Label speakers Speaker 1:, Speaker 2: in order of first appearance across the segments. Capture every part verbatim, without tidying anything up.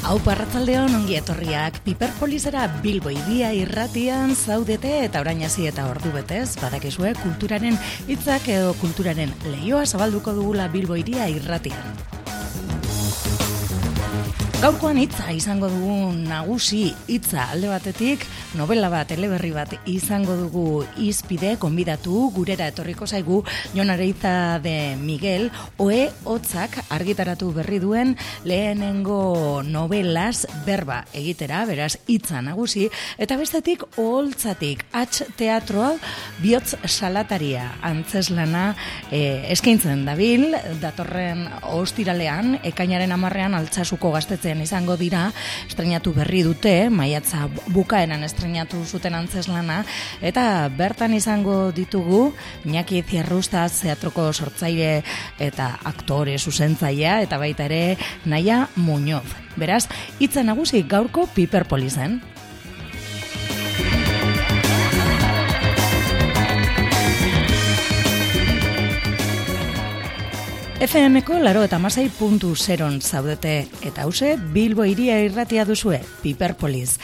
Speaker 1: Aupa arratsaldeon, ongi etorriak. Piperpolisera Bilbo Hiria irratian zaudete eta orain hasi eta ordu betez, badakizue kulturaren hitzak edo kulturaren leioa zabalduko dugula Bilbo Hiria irratian. Gaurkoan hitza izango dugu nagusi hitza alde batetik, novela bat, eleberri bat izango dugu hizpide, konbidatu, gurera etorriko zaigu Jon Areiza de Miguel, Ohe Hotzak argitaratu berri duen lehenengo novelaz berba egitera, beraz hitza nagusi, eta bestetik Oholtzatik, H teatroa bihotz salataria antzeslana eh, eskaintzen dabil, datorren ostiralean, ekainaren hamarrean Altsasuko Gaztetxe izango dira, estreinatu berri dute, maiatza bukaeran estreinatu zuten antzeslana, eta bertan izango ditugu Iñaki Zierrusta teatroko sortzaile eta aktore zuzentzailea, eta baita ere Naia Muñoz. Beraz, hitza nagusi gaurko Piperpolisen. F M-ko laro eta masai puntu zeron zaudete, eta hause Bilbo Hiria irratia duzue, Piperpolis.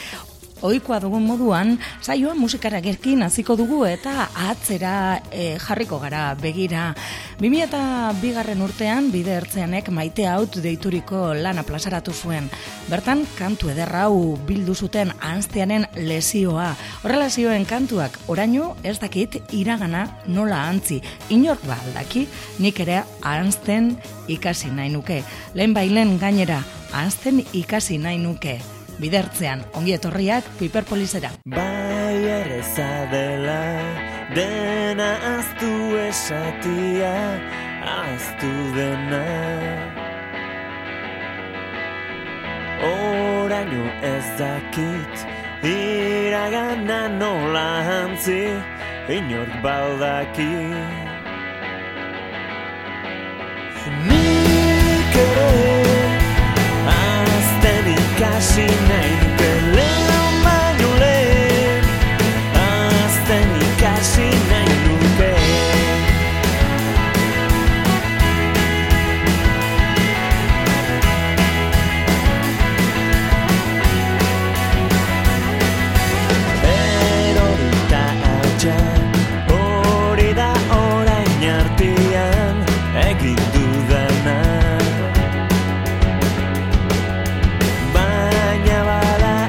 Speaker 1: Ohikoa dugun moduan, saioa musikararekin hasiko dugu eta atzera e, jarriko gara begira. bi mila bigarren urtean, Bide Ertzeanek Maite Haut deituriko lana plazaratu zuen. Bertan, kantu ederra hau bildu zuten ahantziaren lesioa. Horrela zioen kantuak, oraino ez dakit iragana nola ahantzi. Inork ba aldaki, nik ere ahantzen ikasi nahi nuke. Lehen bailen gainera, ahantzen ikasi nahi nuke. Bidertzean, ongi etorriak Piperpolisera.
Speaker 2: Bai erreza dela, dena aztu esatia, aztu dena. Oraino ez dakit, iragana nola hantzi, inork baldaki. Nik ere ikasi nahi nuke lehen baino lehen, azten ikasi nahi nuke. Erorita altxa, hori da orain artean egin dudana.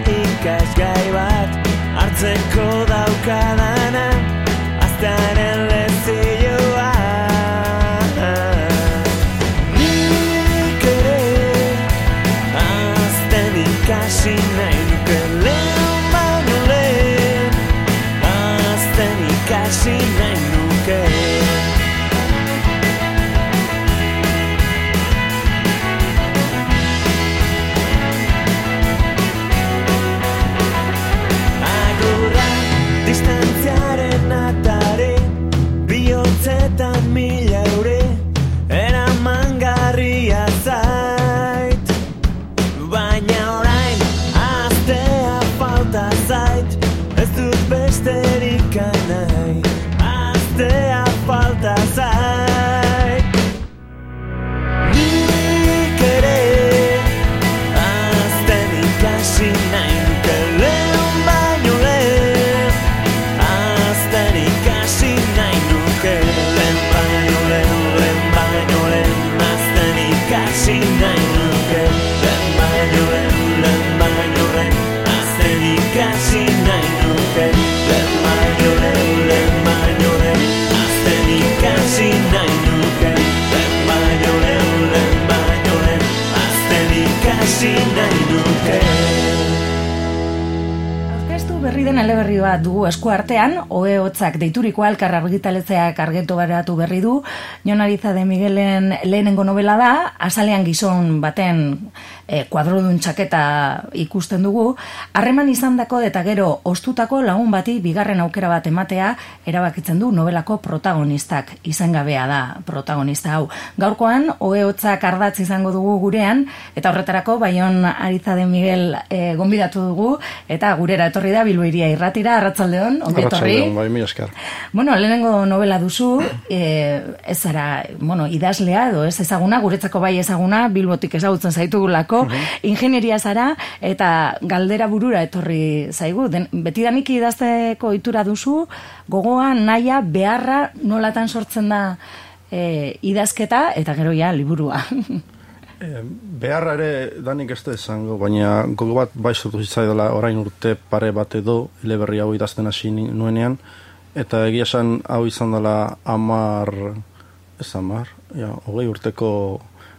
Speaker 2: Ikasgai bat hartzeko daukadana, aztaren lezioa. Nik ere azten ikasi nahi nuke lehen baino lehen, azten ikasi nahi nuke. Distantziaren atare, bihotzetan mila eure, eramangarria zait. Baina orain, aztea falta zait, ez dut besterik nahi, aztea falta zait. Nik ere, azten ikasi nahi nuke lehen baino lehen, ikasi nahi nuke lehen baino lehen, lehen baino lehen, azten ikasi nahi nuke lehen baino lehen, lehen baino lehen, azten ikasi nahi nuke lehen baino lehen, lehen baino lehen, azten ikasi nahi nuke lehen baino lehen, lehen baino lehen, azten ikasi nahi nuke.
Speaker 1: Berri den eleberri bat dugu esku artean, Ohe Hotzak deituriko Elkar argitaletzeak argitaratu berri du. Jon Areiza de Miguelen lehenengo novela da, azalean gizon baten e, kuadrodun txaketa ikusten dugu, harreman izandako eta gero ostutako lagun bati bigarren aukera bat ematea erabakitzen du novelako protagonistak, izengabea da protagonista hau. Gaurkoan, Ohe Hotzak ardatz izango dugu gurean, eta horretarako Jon Areiza de Miguel e, gonbidatu dugu, eta gurera etorri da Bilbo Bilbo Hiria Irratira, arratsaldeon, ongi etorri.
Speaker 3: Arratsaldeon, bai, mila esker.
Speaker 1: Bueno, lehenengo novela duzu, eh, ez zara, bueno, idazlea edo ez ezaguna, guretzako bai ezaguna, Bilbotik ezagutzen zaitugulako, uh -huh. Ingenieria zara eta galdera burura etorri zaigu. Den, betidanik idazteko ohitura duzu, gogoa, naia, beharra, nolatan sortzen da eh, idazketa eta gero ja liburua.
Speaker 3: E, beharra ere danik ez da esango, baina gogo bat bai sortu zitzaidala orain urte pare bat edo eleberri hau idazten hasi nuenean, eta egia esan hau izan dela amar, ez amar, ja, hogei urteko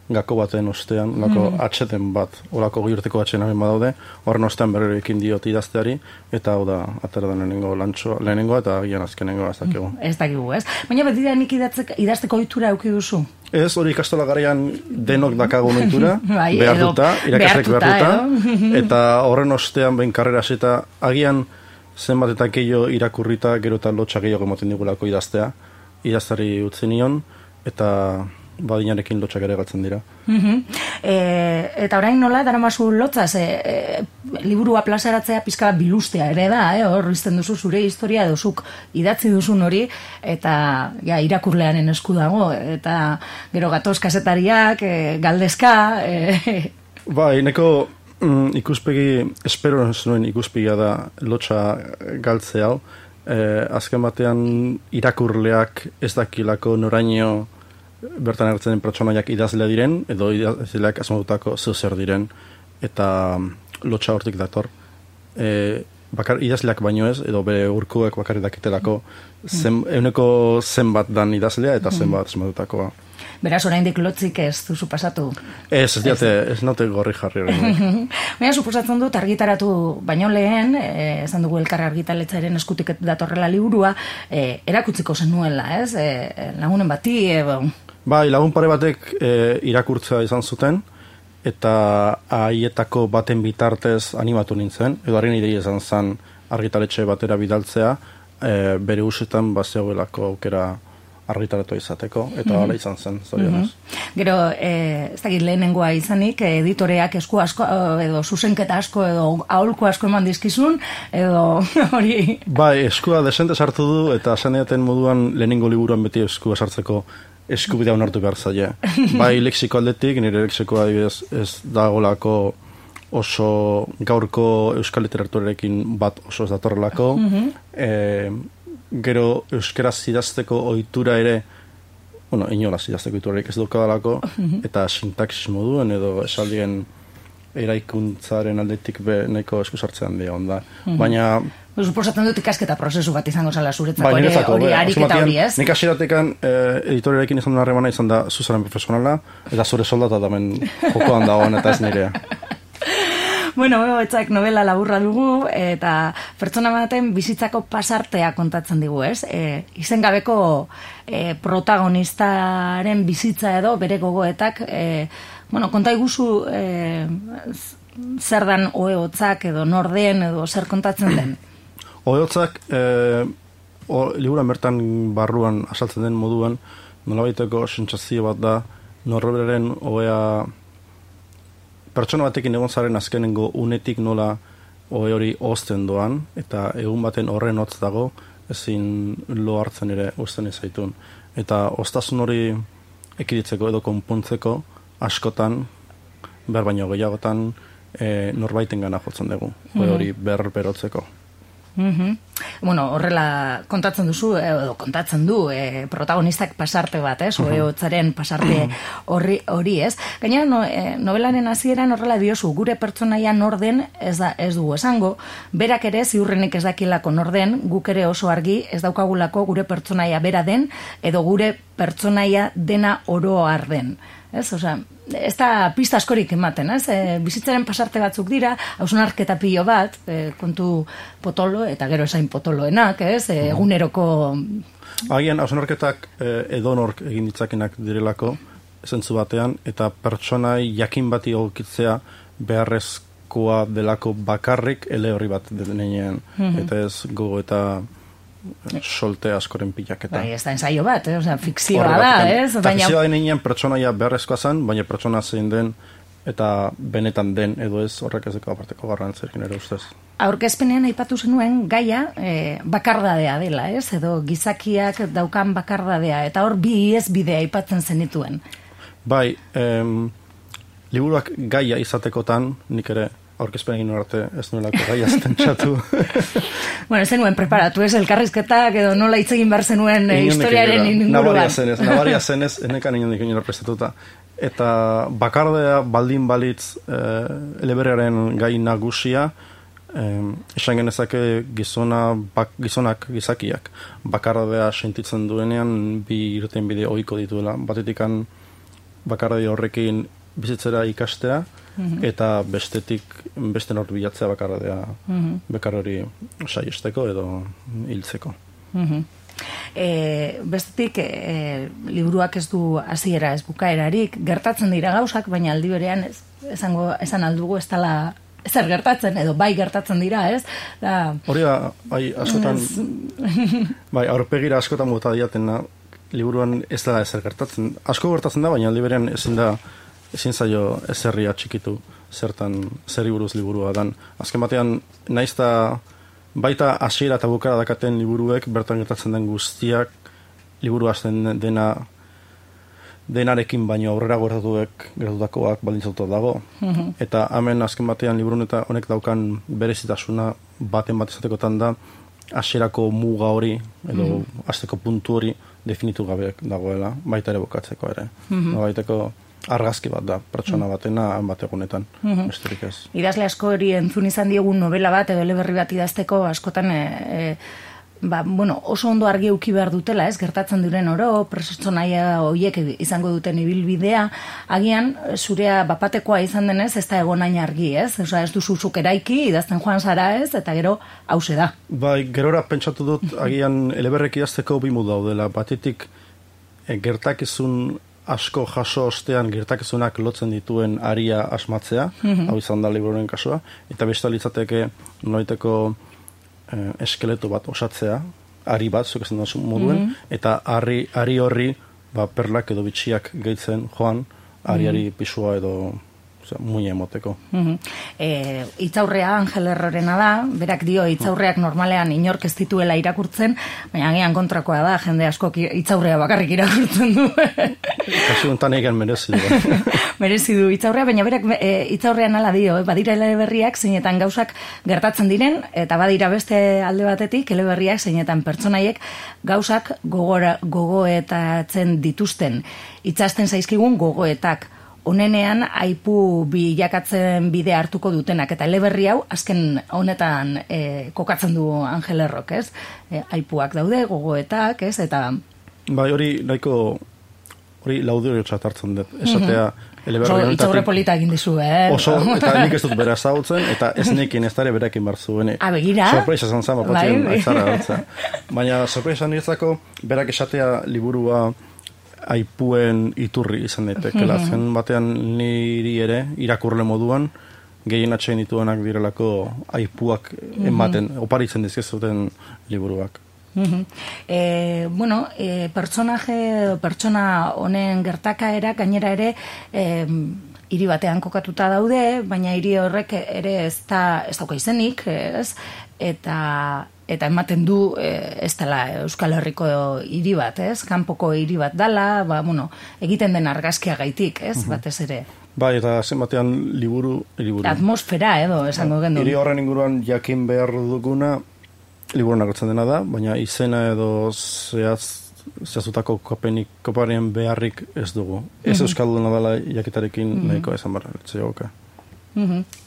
Speaker 3: gako baten ostean, lako mm. atxeten bat, olako hogei urteko atxeten hamen badaude, horren ostean berriro ekin diot idazteari, eta hau da, atera da lehenengo lantxoa, lehenengoa eta gian azkenengoa ez dakigu.
Speaker 1: Ez dakigu, ez? Baina betidanik idazteko ohitura eduki duzu?
Speaker 3: Ez, hori ikastola garaian denok dakagun ohitura,
Speaker 1: bai,
Speaker 3: behartuta, irakaslek behartuta,
Speaker 1: behartuta
Speaker 3: eta horren ostean behin karrera eta agian zenbat eta gehiago irakurrita, gero eta lotxa gehiago emoten digulako idaztea, idaztari utzi nion, eta badinarekin lotxak ere galtzen dira.
Speaker 1: Uh-huh. E, eta orain nola, daramazu lotzaz, e, e, liburua plazaratzea pizka bilustea ere da, eh? Hor izten duzu zure historia edo zuk idatzi duzun hori, eta ja, irakurlearen esku dago, eta gero gatoz kazetariak, e, galdezka... E...
Speaker 3: Bai, neko mm, ikuspegi, espero nuen ikuspegia da lotxa galtze hau, e, azken batean irakurleak ez dakilako noraino bertan ertzen pertsonaiak idazlea diren, edo idazleak asmatutako zeu zer diren, eta lotxa hortik dator. E, bakar, idazleak baino ez, edo bere urkuek bakarrik dakitelako zen, euneko zenbat dan idazlea eta zenbat asmatutakoa.
Speaker 1: Beraz, oraindik lotzik ez duzu pasatu?
Speaker 3: Ez, ez diate, ez naute gorri jarri hori.
Speaker 1: Baina, suposatzen dut, argitaratu baino lehen, e, esan dugu elkar argitaletzaren eskutik datorrela liburua, e, erakutziko zenuela, ez? E, lagunen bati, edo...
Speaker 3: Bai, lagun pare batek e, irakurtza izan zuten, eta haietako baten bitartez animatu nintzen, edo harri nire izan zen argitaletxe batera bidaltzea, e, bere usetan bazegoelako aukera argitaratu izateko, eta hala mm -hmm. izan zen, zorionez. Mm
Speaker 1: -hmm. Gero, e, ez dakit lehenengoa izanik, editoreak esku asko, edo zuzenketa asko, edo aholku asko eman dizkizun, edo hori...
Speaker 3: Bai, eskua desente sartu du, eta zaneaten moduan lehenengo liburuan beti eskua sartzeko eskubidea onartu behar zaila. Bai, lexiko aldetik, nire lexikoa adibidez ez dagolako oso gaurko euskal literaturarekin bat oso ez datorrelako. Mm -hmm. e, gero euskaraz idazteko ohitura ere, bueno, inolaz idazteko ohiturarik ez dukadalako, mm -hmm. eta sintaxis moduen edo esaldien eraikuntzaren aldetik be nahiko eskusartzean dira onda. Mm -hmm. Baina
Speaker 1: suposatzen dut ikasketa prozesu bat izango zala zuretzako ere, hori ariketa hori, ez?
Speaker 3: Nik hasieratekan eh, editoriarekin izan duen harremana izan da zuzaren profesionala, eta zure soldata damen jokoan dagoen eta ez nirea.
Speaker 1: Bueno, etzak novela laburra dugu, eta pertsona baten bizitzako pasartea kontatzen digu, ez? E, izengabeko e, protagonistaren bizitza edo bere gogoetak, e, bueno, konta iguzu e, zer dan oehotzak edo norden edo zer kontatzen den?
Speaker 3: Oehotzak, e, liburan bertan barruan asaltzen den moduan, nolabaiteko sentsazio bat da, norberaren oea pertsona batekin egon zaren azkenengo unetik nola ohe hori ozten doan, eta egun baten horren hotz dago, ezin lo hartzen ere uzten izaitun. Eta oztasun hori ekiditzeko edo konpontzeko askotan, ber baino gehiagotan, e, norbaiten gana jotzen dugu, ohe hori ber berotzeko.
Speaker 1: Mm-hmm. Bueno, horrela kontatzen duzu, edo kontatzen du e, protagonistak pasarte bat, ez? Oehotzaren pasarte horri, hori, ez? Gainera, no, e, novelaren hasieran horrela diozu, gure pertsonaia norden ez, da, ez dugu esango, berak ere ziurrenik ez dakilako norden, guk ere oso argi ez daukagulako gure pertsonaia bera den, edo gure pertsonaia dena oro har den. Ez, osea, ez da pista askorik ematen, ez? E, bizitzaren pasarte batzuk dira, hausnarketa pilo bat, e, kontu potolo, eta gero esain potoloenak, ez? E, eguneroko...
Speaker 3: Agian, hausnarketak e, edonork egin ditzakenak direlako, zentzu batean, eta pertsonai jakin bati egokitzea beharrezkoa delako bakarrik ele horri bat denean, mm-hmm. eta ez gogo eta solte askoren pilaketa.
Speaker 1: Bai, ez da ensaio bat, eh? Osea, fikzioa da, ez?
Speaker 3: Baina... Fikzioa denean pertsonaia beharrezkoa zen, baina pertsona zein den eta benetan den edo ez horrek ez deko aparteko garrantzirekin ere ustez.
Speaker 1: Aurkezpenean aipatu zenuen gaia e, bakardadea dela, ez? Edo gizakiak daukan bakardadea, eta hor bi iezbide aipatzen zenituen.
Speaker 3: Bai, em, liburuak gaia izatekotan, nik ere aurkezpen egin arte ez nuelako gaia zentsatu.
Speaker 1: Bueno, zenuen preparatu, ez? Elkarrizketak edo nola hitz egin behar zenuen e, historiaren inguruan.
Speaker 3: Nabaria zenez, nabaria zenez, enekan inondik inora prestatuta. Eta bakardea baldin balitz e, eleberriaren gai nagusia, eh, esan genezake gizona, bak, gizonak gizakiak bakardea sentitzen duenean bi irten bide ohiko dituela. Batetikan bakardea horrekin bizitzera ikastea, mm-hmm. eta bestetik beste nort bilatzea bakardea mm-hmm. bekar hori saiesteko edo hiltzeko.
Speaker 1: Mm-hmm. E, bestetik e, liburuak ez du hasiera ez bukaerarik, gertatzen dira gauzak, baina aldi berean ez, esango, esan aldugu ez dela ezer gertatzen, edo bai gertatzen dira, ez? Da,
Speaker 3: hori da, bai, askotan bai, aurpegira askotan bota diatena liburuan ez da ezer gertatzen. Asko gertatzen da, baina aldi berean ezin da ezin zaio ezerria txikitu zertan zeri buruz liburua dan. Azken batean, naizta baita hasiera eta bukara dakaten liburuek bertan gertatzen den guztiak liburu hasten dena denarekin baino aurrera gertatuek gertutakoak baldintzatuta dago. Mm-hmm. Eta hemen azken batean liburun eta honek daukan berezitasuna baten bat izatekotan da hasierako muga hori edo mm-hmm. hasteko puntu hori definitu gabe dagoela, baita ere bukatzeko ere. Mm-hmm. Baiteko argazki bat da, pertsona batena bat egunetan, mm-hmm. besterik ez.
Speaker 1: Idazle asko hori entzun izan diegun novela bat edo eleberri bat idazteko askotan e, e, ba, bueno, oso ondo argi uki behar dutela, ez, gertatzen diren oro, pertsonaia horiek izango duten ibilbidea, agian zurea bapatekoa izan denez, ez da egon hain argi, ez? Osa, ez duzu zuk eraiki, idazten joan zara, ez, eta gero hause da.
Speaker 3: Bai, gerora pentsatu dut, agian eleberrek idazteko bi modu daudela, batetik e, gertakizun asko jaso ostean gertakizunak lotzen dituen aria asmatzea, mm-hmm. hau izan da liburuaren kasua, eta beste litzateke nolaiteko eh, eskeleto bat osatzea, ari bat, zuk esan duzu moduen, mm-hmm. eta ari, ari horri ba, perlak edo bitxiak gehitzen joan, ariari mm-hmm. pisua edo muina emoteko.
Speaker 1: Mm-hmm. E, itzaurrea Angel Errorena da, berak dio itzaurreak normalean inork ez dituela irakurtzen, baina agian kontrakoa da, jende askok itzaurrea bakarrik irakurtzen du.
Speaker 3: Kasu honetan egin merezi du.
Speaker 1: Merezi du itzaurrea, baina berak e, itzaurrean ala dio, badira eleberriak zeinetan gauzak gertatzen diren, eta badira beste alde batetik eleberriak zeinetan pertsonaiek gauzak gogora, gogoetatzen dituzten. Itzasten zaizkigun gogoetak. Honenean aipu bilakatzen bide hartuko dutenak, eta eleberri hau azken honetan e, kokatzen du Angel Errok, ez? E, aipuak daude, gogoetak, ez? Eta
Speaker 3: bai, hori nahiko hori laudiotzat hartzen dut. Esatea eleberri honetatik
Speaker 1: itzaurre polita egin dizu, eh?
Speaker 3: Oso, eta nik ez dut bera ezagutzen, eta ez nekin ez dara berekin barzu.
Speaker 1: A, begira?
Speaker 3: Sorpresa zan zan, bapatzen aitzara hartza. Baina sorpresa niretzako berak esatea liburua aipuen iturri izan daitekela. Mm-hmm. Zen batean niri ere irakurle moduan gehien atxein dituenak direlako aipuak ematen, mm-hmm. oparitzen dizkezuten liburuak.
Speaker 1: Mm-hmm. E, bueno, e, personaje, pertsona honen gertakaera gainera ere e, hiri batean kokatuta daude, baina hiri horrek ere ez da ez dauka izenik, ez? Eta eta ematen du e, ez dela Euskal Herriko hiri bat, ez? Kanpoko hiri bat dala, ba, bueno, egiten den argazkia gaitik, ez? Uh-huh. Batez ere.
Speaker 3: Bai, eta zenbatean liburu, liburu.
Speaker 1: Atmosfera edo, esango gendu.
Speaker 3: Hiri horren inguruan jakin behar duguna liburuan agertzen dena da, baina izena edo zehaz, zehazutako kopenik, koparien beharrik ez dugu. Ez uh-huh. Euskalduna dela jakitarekin uh-huh. nahiko esan barra, etxeoka.
Speaker 1: Mhm.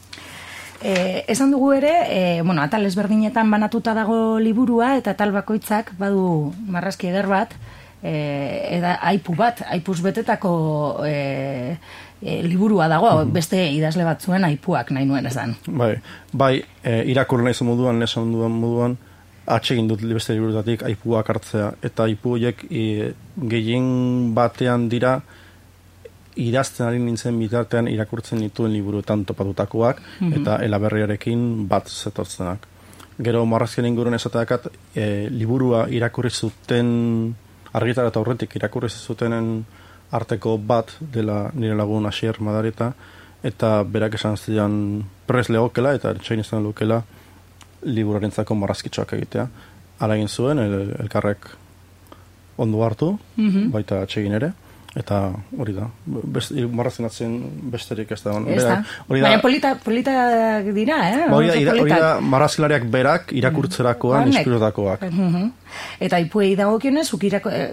Speaker 1: Eh, esan dugu ere, eh, bueno, atal ezberdinetan banatuta dago liburua, eta atal bakoitzak badu marrazki eder bat, eh, eda aipu bat, aipuz betetako eh, eh, liburua dago, mm-hmm. beste idazle batzuen aipuak nahi nuen esan.
Speaker 3: Bai, bai eh, irakur nahi moduan, lesan duan moduan, atsegin dut beste liburutatik aipuak hartzea, eta aipu horiek e, gehien batean dira idazten ari nintzen bitartean irakurtzen dituen liburuetan topatutakoak, mm-hmm. eta elaberriarekin bat zetortzenak. Gero marrazkien inguruen esateakat, e, liburua irakurri zuten, argitara eta aurretik irakurri zutenen arteko bat dela nire lagun Asier Madareta, eta berak esan zidan prez legokela, eta etxein izan lukela liburuarentzako marrazkitxoak egitea. Hala egin zuen, el, elkarrek ondo hartu, mm-hmm. baita atxegin ere, eta hori da, marrazinatzen besterik ez da.
Speaker 1: Ez da, baina polita, polita dira, eh?
Speaker 3: Hori da, hori da marrazilariak berak irakurtzerakoan mm-hmm. inspiratakoak.
Speaker 1: Mm-hmm. Eta ipuei dagokionez,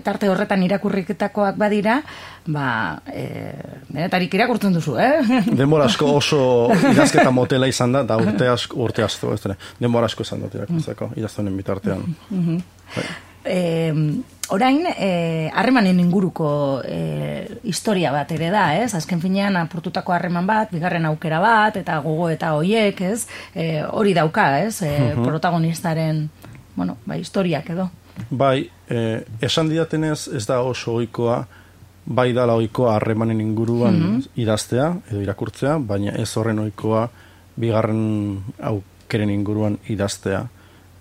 Speaker 1: tarte horretan irakurriketakoak badira, ba, e, denetarik irakurtzen duzu, eh?
Speaker 3: Denbora asko oso idazketa motela izan da, da urte asko, urte asko, ez da, denbora asko izan dut irakurtzeko, idaztuenen bitartean.
Speaker 1: Mm-hmm. Bai. E, orain, harremanen e, inguruko e, historia bat ere da, ez? Azken finean apurtutako harreman bat, bigarren aukera bat, eta gogo eta hoiek, ez? E, hori dauka, ez? E, uh-huh. Protagonistaren, bueno, ba, historiak edo.
Speaker 3: Bai, e, esan didatenez ez da oso ohikoa, bai dala ohikoa harremanen inguruan uh-huh. idaztea, edo irakurtzea, baina ez horren ohikoa bigarren aukeren inguruan idaztea.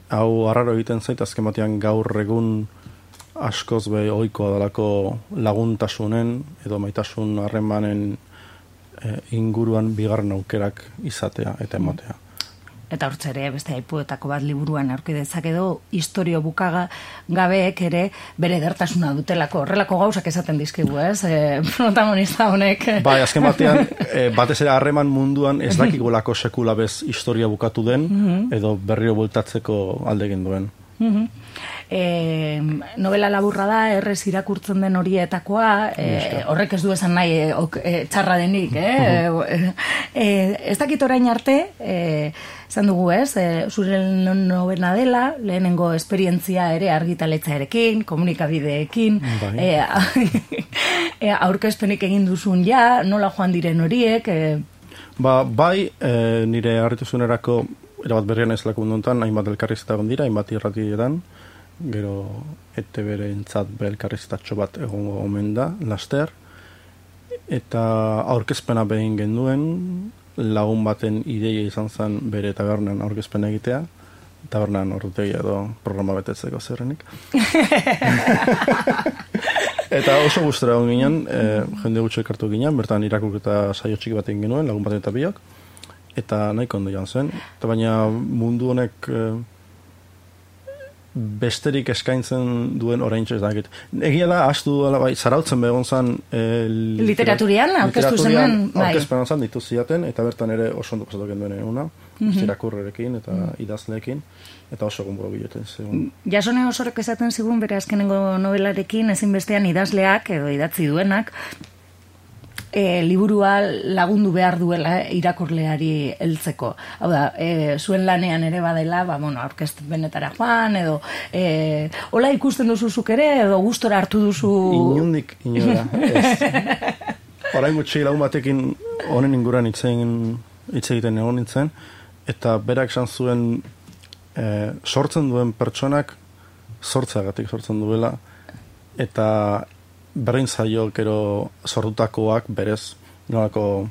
Speaker 3: Hau arraro egiten zait, azken batean gaur egun askoz be ohikoa dalako laguntasunen edo maitasun harremanen e, inguruan bigarren aukerak izatea eta ematea.
Speaker 1: Eta hortze ere, beste aipuetako bat liburuan aurki dezak edo, historio bukaga gabeek ere bere edertasuna dutelako. Horrelako gauzak esaten dizkigu, ez? E, protagonista honek.
Speaker 3: Bai, azken batean, e, batez ere harreman munduan ez dakigolako sekula bez historia bukatu den, mm-hmm. edo berriro bueltatzeko alde egin duen.
Speaker 1: Mm-hmm. E, novela laburra da, errez irakurtzen den horietakoa, e, horrek ez du esan nahi e, ok, e, txarra denik, eh? e, e, ez dakit orain arte, e, zan dugu ez, e, zure novena dela, lehenengo esperientzia ere argitaletzaerekin, komunikabideekin, e, e, aurkezpenik egin duzun ja, nola joan diren horiek? E...
Speaker 3: Ba, bai, e, nire harrituzunerako erabat berrian ez lako munduntan, hainbat elkarrizketa gondira, hainbat irratietan, gero ete bere entzat belkarriztatxo bat egongo omen da, laster, eta aurkezpena behin genduen, lagun baten ideia izan zen bere tabernan aurkezpena egitea, tabernan ordutegi edo programa betetzeko zerrenik. Eta oso gustora egon ginen, e, jende gutxo ekartu ginen, bertan irakurketa saio txiki bat egin genuen, lagun baten eta biok, eta nahiko ondo joan zen, eta baina mundu honek e, besterik eskaintzen duen oraintxe ez dakit. Egia da, astu duela, bai, zarautzen begon zan... E,
Speaker 1: literaturian, aurkeztu zen, bai.
Speaker 3: Aurkezpenan zan ditu ziaten, eta bertan ere oso ondo pasatu genduen una, mm-hmm. irakurrerekin eta mm-hmm. idazleekin, eta oso gomburo biloten zegoen.
Speaker 1: Jasone osorek esaten zigun bere azkenengo novelarekin, ezinbestean idazleak edo idatzi duenak, E, liburua lagundu behar duela irakurleari heltzeko. Hau da, e, zuen lanean ere badela, ba, bueno, aurkezpenetara joan, edo e, hola ikusten duzu zuk ere, edo gustora hartu duzu...
Speaker 3: Inundik, inora. Orain gutxi lagun batekin honen inguruan hitz egiten egon nintzen, eta berak esan zuen e, sortzen duen pertsonak sortzeagatik sortzen duela, eta berdin zaio gero sortutakoak berez nolako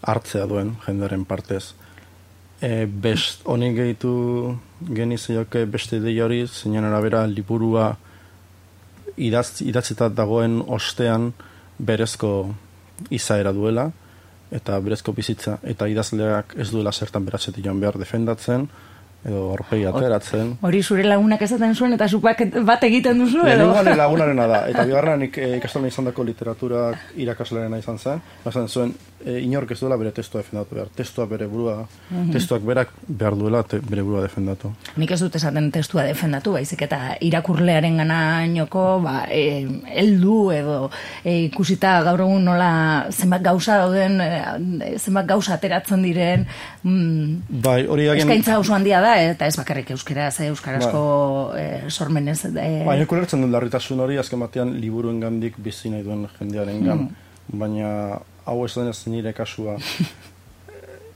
Speaker 3: hartzea duen jendearen partez. E, best, honik gehitu genizioke beste ideia hori, zeinen arabera liburua idaz, idatzitat dagoen ostean berezko izaera duela, eta berezko bizitza, eta idazleak ez duela zertan beratzetik joan behar defendatzen, edo aurpegi ateratzen.
Speaker 1: Hori zure lagunak esaten zuen, eta zuk bat egiten duzu, edo?
Speaker 3: Lehenengoan lagunarena da, eta bigarren ikastolen izan dako literatura irakaslearena izan zen, bazen zuen, e, inork ez duela bere testua defendatu behar. Testua bere burua, mm-hmm. testuak berak behar duela te, bere burua defendatu.
Speaker 1: Nik ez dut esaten testua defendatu, baizik eta irakurlearen ganainoko, ba, e, eldu edo e, ikusita gaur egun nola zenbat gauza dauden, e, zenbat gauza ateratzen diren, mm,
Speaker 3: bai, hori agen...
Speaker 1: eskaintza oso handia da, eta ez bakarrik euskaraz, euskarazko ba. e, sormenez. E...
Speaker 3: Ba, nik ulertzen dut larritasun hori, azken batean liburuen gandik bizi nahi duen jendearen gan, mm. baina hau ez denez nire kasua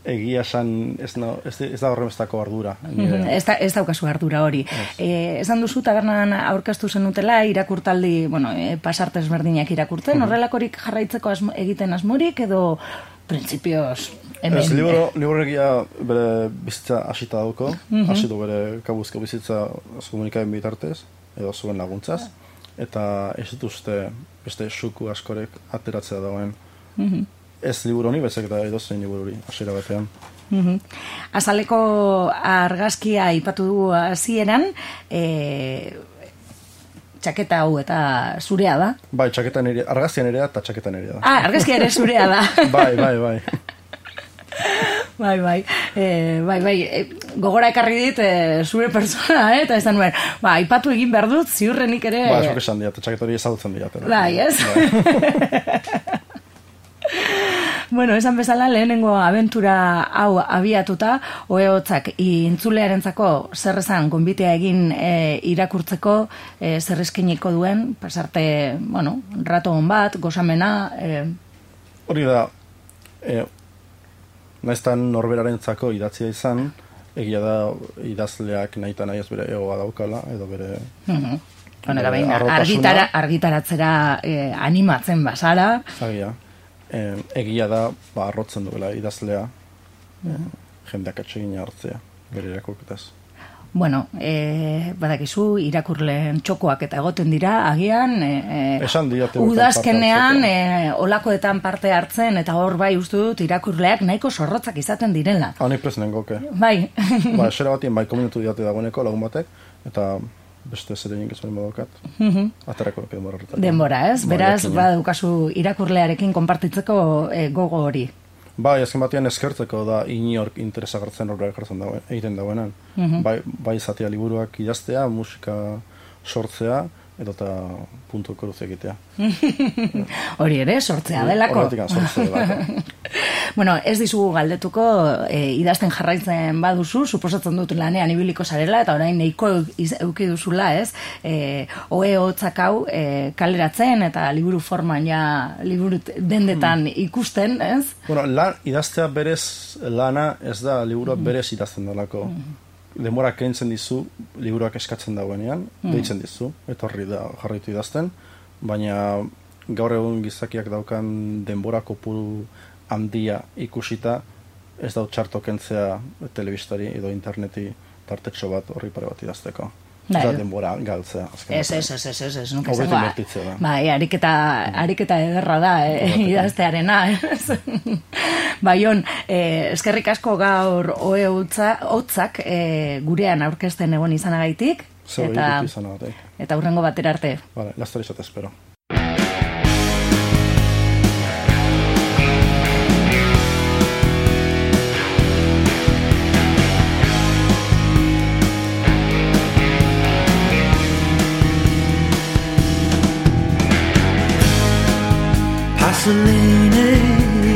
Speaker 3: egia esan ez, no, ez, ez da horremestako ardura.
Speaker 1: Mm-hmm. Ez, da, ez daukazu ardura hori. E, esan duzu tabernan aurkeztu zenutela irakurtaldi, bueno, e, pasartez berdinak irakurtzen, mm-hmm. horrelakorik jarraitzeko asmo, egiten asmorik edo printzipioz hemen?
Speaker 3: Ez, libro, libroregia bere bizitza hasita dauko, mm-hmm. hasitu bere kabuzko bizitza komunikaben bitartez, edo zuen laguntzaz, eta ez dituzte beste suku askorek ateratzea dagoen. Mm-hmm. ez liburu honi, bezak eta edozein libururi, hasiera batean.
Speaker 1: Mm-hmm. Azaleko argazkia ipatu du hasieran, e, txaketa hau eta zurea da.
Speaker 3: Bai, txaketa nire, argazkia nirea eta txaketa nirea da.
Speaker 1: Ah, argazkia ere zurea da.
Speaker 3: bai, bai, bai.
Speaker 1: Bai, bai, e, bai, bai, e, gogora ekarri dit e, zure persona, eh? Eta esan nuen, ba, aipatu egin behar dut, ziurrenik ere...
Speaker 3: Ba, esok esan diat, txaketa hori ezagutzen diat.
Speaker 1: Bai, ez? Bueno, esan bezala lehenengo abentura hau abiatuta, Oehotzak intzulearentzako zer esan gonbitea egin e, irakurtzeko e, zer eskeniko duen, pasarte, bueno, rato hon bat, gozamena... E...
Speaker 3: Hori da, e, naiztan norberarentzako idatzia izan, egia da idazleak nahi eta nahi ez bere egoa daukala, edo bere...
Speaker 1: Mm-hmm. Honera behin, argitara, argitaratzera e, animatzen basara.
Speaker 3: Agia. E, egia da, ba, arrotzen duela idazlea, e, jendeak atsegina hartzea, bere irakurketaz.
Speaker 1: Bueno, e, badakizu, irakurleen txokoak eta egoten dira, agian, e, e, udazkenean e, olakoetan parte hartzen, eta hor bai uste dut irakurleak nahiko zorrotzak izaten direla.
Speaker 3: Hau presenen goke.
Speaker 1: Bai.
Speaker 3: Ba, esera batien bai komunitu diate dagoeneko lagun batek, eta beste zer egin gezuen badokat.
Speaker 1: Mm-hmm.
Speaker 3: Atarako denbora horretan.
Speaker 1: Denbora, ez? Ba, beraz, badukazu irakurlearekin konpartitzeko e, gogo hori.
Speaker 3: Bai, azken batean eskertzeko da inork interesagartzen horrela ekartzen dagoen, egiten dagoenan.
Speaker 1: Mm-hmm.
Speaker 3: Bai, bai zatea liburuak idaztea, musika sortzea, edo eta puntu koruz egitea.
Speaker 1: Hori ere, sortzea delako.
Speaker 3: Horretik sortzea delako.
Speaker 1: Bueno, ez dizugu galdetuko, e, idazten jarraitzen baduzu, suposatzen dut lanean ibiliko zarela, eta orain nahiko euki duzula, ez? E, Oehotzak hau e, kaleratzen, eta liburu forman ja, liburu dendetan hmm. ikusten, ez?
Speaker 3: Bueno, lan, idaztea berez lana ez da liburua hmm. berez idazten delako. Hmm. Denbora kentzen dizu, liburuak eskatzen dagoenean, mm. deitzen dizu, eta horri da jarraitu idazten, baina gaur egun gizakiak daukan denbora kopuru handia ikusita, ez dau txarto kentzea telebistari edo interneti tartetxo bat horri pare bat idazteko. Ez da denbora galtzea.
Speaker 1: Ez, ez, ez, ez, ez, ez, nuke zengo. Bai, ariketa, ariketa ederra da, eh, idaztearena. Baion, eh, eskerrik asko gaur Oehotzak eh, gurean aurkezten egon izanagaitik.
Speaker 3: Zer eta, izanagatik.
Speaker 1: Eta hurrengo batera arte.
Speaker 3: Vale, lastar izate espero.
Speaker 2: Pasolini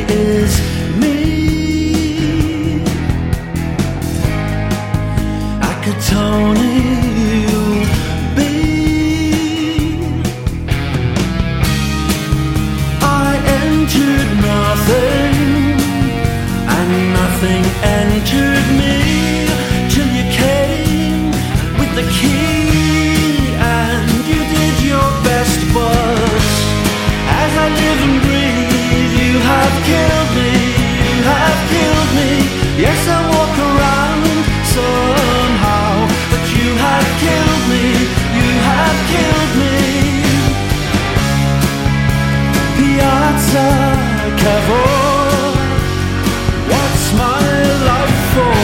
Speaker 2: is me. Akatoni you'll be. I entered nothing, and nothing entered me, till you came with the key, and you did your best, but as I live and breathe, you have killed me, you have killed me. Yes, I walk around somehow, but you have killed me, you have killed me. Piazza Cavour, what's my love for?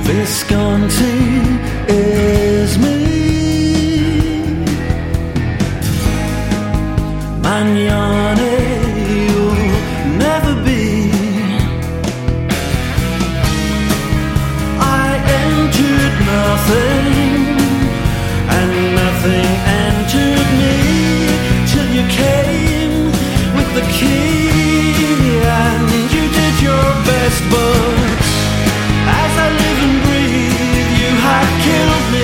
Speaker 2: Visconti is me. Magnani you'll never be. I entered nothing, and nothing entered me, till you came with the key, and you did your best, but as I live and breathe, you have killed me,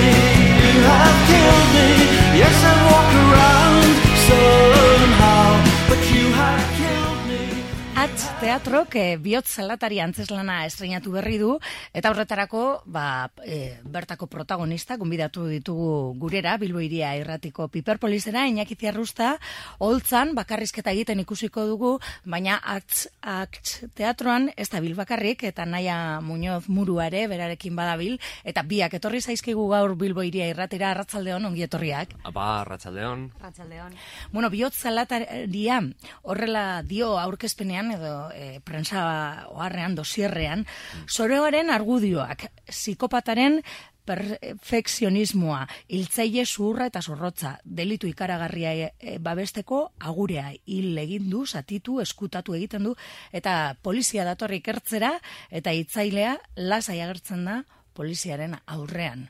Speaker 1: Bilbok e, bihotz salatari antzeslana estreinatu berri du, eta horretarako ba, e, bertako protagonista gonbidatu ditugu gurera, Bilbo Hiria irratiko Piperpolisera, Iñaki Ziarrusta, holtzan bakarrizketa egiten ikusiko dugu, baina Arts Act teatroan ez da bil bakarrik, eta Naia Muñoz Muruare berarekin badabil, eta biak etorri zaizkigu gaur Bilbo Hiria irratira. Arratsaldeon, ongi etorriak.
Speaker 4: Apa, arratsaldeon.
Speaker 5: Arratsaldeon.
Speaker 1: Bueno, bihotz salataria horrela dio aurkezpenean edo e, prensa oharrean, dosierrean, zoroaren argudioak, psikopataren perfekzionismoa, hiltzaile zuhurra eta zorrotza, delitu ikaragarria e, babesteko agurea hil egin du, zatitu, eskutatu egiten du, eta polizia datorri ikertzera, eta hitzailea lasai agertzen da poliziaren aurrean.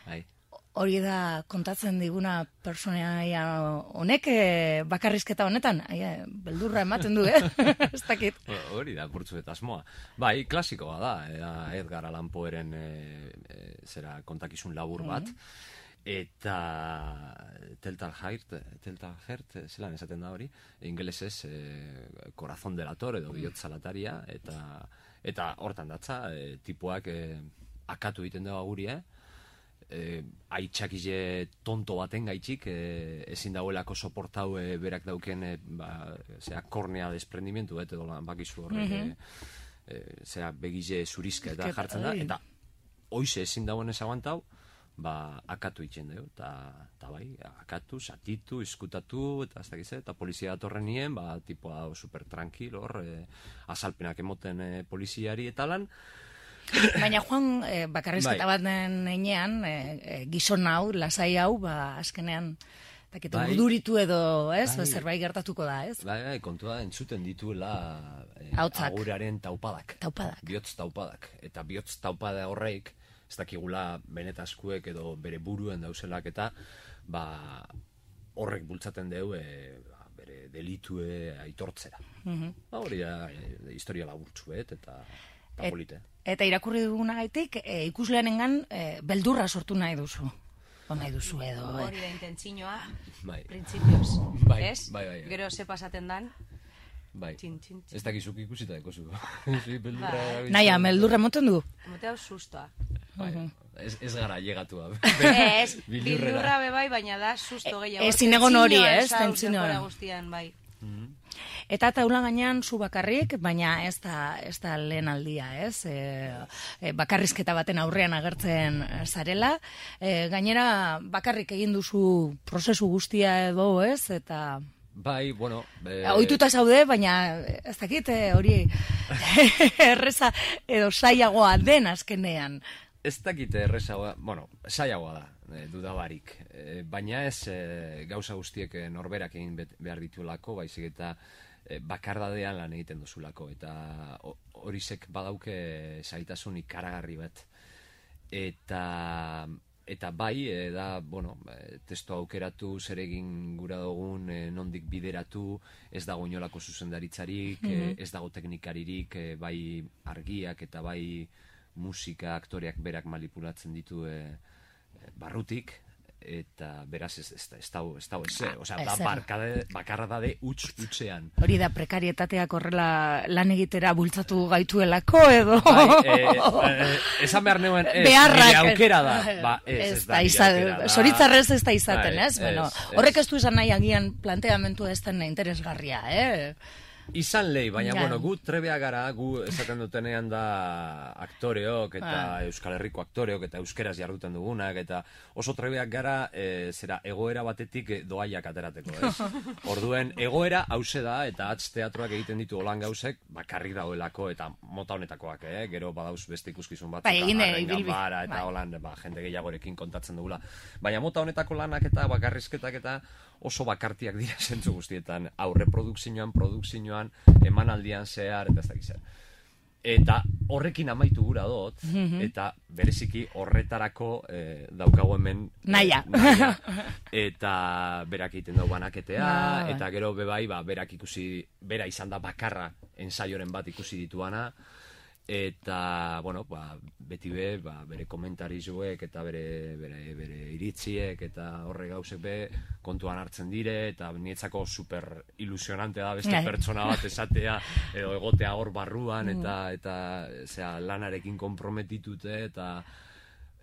Speaker 4: Bai.
Speaker 1: Hori da kontatzen diguna personaia honek e, bakarrizketa honetan, Ai, beldurra ematen du, eh? Ez dakit.
Speaker 4: Hori da, burtzu eta asmoa. Bai, klasikoa da, da Edgar Allan Poeren e, e, zera kontakizun labur bat, eta Teltalhairt, Teltalhairt, zelan esaten da hori, ingelesez e, Corazón delator edo bihotz salataria, eta eta hortan datza, e, tipuak e, akatu egiten dago guria, eh, aitzakize tonto baten gaitxik, eh, ezin dagoelako soportau eh, berak dauken eh, ba, zera, kornea desprendimentu, et, edo lan bakizu horrek, mm -hmm. eh, zera, begize zurizka eta jartzen da, eta hoize ezin dagoen ez aguantau, ba, akatu itxen dugu, eta bai, akatu, satitu, izkutatu, eta ez dakize, eta polizia datorren nien, ba, tipoa super tranquil, hor, eh, azalpenak emoten eh, poliziari eta lan.
Speaker 1: Baina Juan, eh, bakarrizketa
Speaker 4: bai.
Speaker 1: bat enean, eh, eh, gizon hau, lasai hau, ba, azkenean, taketu, bai. urduritu edo, ez, bai. zerbait gertatuko da, ez?
Speaker 4: Bai, bai, kontua entzuten dituela eh,
Speaker 1: Hautzak.
Speaker 4: aguraren taupadak.
Speaker 1: Taupadak.
Speaker 4: Bihotz taupadak. Eta bihotz taupada horreik, ez dakigula benetazkuek edo bere buruen dauzelak eta ba, horrek bultzaten deu e, ba, bere delitue aitortzera. Mm-hmm. Ba, hori da e, historia laburtzuet eta, eta
Speaker 1: Et,
Speaker 4: polite.
Speaker 1: Eta irakurri dugunagaitik e, ikuslearengan e, beldurra sortu nahi duzu. O nahi duzu edo.
Speaker 5: Hori da intentzinoa,
Speaker 4: bai.
Speaker 5: printzipioz.
Speaker 4: Bai,
Speaker 5: ez?
Speaker 4: bai, bai, bai.
Speaker 5: Gero ze pasaten dan.
Speaker 4: Bai,
Speaker 5: Txin, txin, txin.
Speaker 4: ez dakizuk ikusita dekozu. Sí, beldurra
Speaker 5: Bai.
Speaker 1: Naia, beldurra moten du?
Speaker 5: Mote hau sustoa.
Speaker 4: Bai, ez, ez gara llegatua.
Speaker 5: Ez, bildurra bebai, baina da susto gehiago.
Speaker 1: Ezin egon hori,
Speaker 5: Tentzinoa,
Speaker 1: ez?
Speaker 5: zau,
Speaker 1: Tentzinoa.
Speaker 5: denbora guztian, bai.
Speaker 1: Eta taula gainean zu bakarrik, baina ez da, ez da lehen aldia, ez? E, e, bakarrizketa baten aurrean agertzen zarela. E, gainera bakarrik egin duzu prozesu guztia edo, ez? Eta
Speaker 4: Bai, bueno...
Speaker 1: E... Ohituta zaude, baina ez dakit hori erreza edo saiagoa den azkenean.
Speaker 4: Ez dakite errezagoa, bueno, saiagoa da, e, dudabarik. E, baina ez e, gauza guztiek e, norberak egin behar dituelako, baizik eta e, bakardadean lan egiten duzulako. Eta horizek badauke zaitasun ikaragarri bat. Eta... Eta bai, e, da, bueno, e, testo aukeratu, zer egin gura dugun, e, nondik bideratu, ez dago inolako zuzendaritzarik, mm-hmm. e, ez dago teknikaririk, e, bai argiak eta bai musika, aktoreak berak manipulatzen ditu e, e, barrutik, eta beraz ez, ez, ez dago ez dago ez, osea, da barkade, bakarra dade utz utzean.
Speaker 1: Hori da prekarietateak horrela lan egitera bultzatu gaituelako edo?
Speaker 4: Bai, e, e, esan behar neuen, ez, nire aukera da. Ba, ez, ez, ez da,
Speaker 1: da izaten, zoritzarrez ez da izaten,
Speaker 4: bai,
Speaker 1: ez? Bueno,
Speaker 4: ez,
Speaker 1: horrek ez du izan nahi agian planteamentu ez den interesgarria, eh?
Speaker 4: Izan lehi, baina,
Speaker 1: ja.
Speaker 4: bueno, gu trebea gara, gu esaten dutenean da aktoreok eta
Speaker 1: ah.
Speaker 4: Euskal Herriko aktoreok eta euskeraz jarduten dugunak, eta oso trebeak gara, e, zera, egoera batetik doaiak aterateko, ez? Orduen, egoera hause da, eta atz teatroak egiten ditu holan gauzek, bakarrik daudelako, eta mota honetakoak, eh? Gero badauz beste ikuskizun bat,
Speaker 1: bai,
Speaker 4: eta garren
Speaker 1: bilbi.
Speaker 4: ganbara, eta
Speaker 1: bai.
Speaker 4: holan, ba, jende gehiagorekin kontatzen dugula. Baina mota honetako lanak eta bakarrizketak eta oso bakartiak dira zentzu guztietan, aurre produkzioan, produkzioan, emanaldian zehar, eta ez dakiz zer. Eta horrekin amaitu gura dut, mm-hmm. eta bereziki horretarako eh, daukagu hemen
Speaker 1: naia.
Speaker 4: Eh, naia. Eta berak egiten dugu banaketea,
Speaker 1: ah,
Speaker 4: eta gero bebai, ba, berak ikusi, bera izan da bakarra ensaioren bat ikusi dituana, eta, bueno, ba, beti be, ba, bere komentarizuek eta bere, bere, bere iritziek eta horre gauzek be kontuan hartzen dire, eta nietzako super ilusionante da beste pertsona bat esatea, edo egotea hor barruan, eta, eta zera, lanarekin komprometitute, eta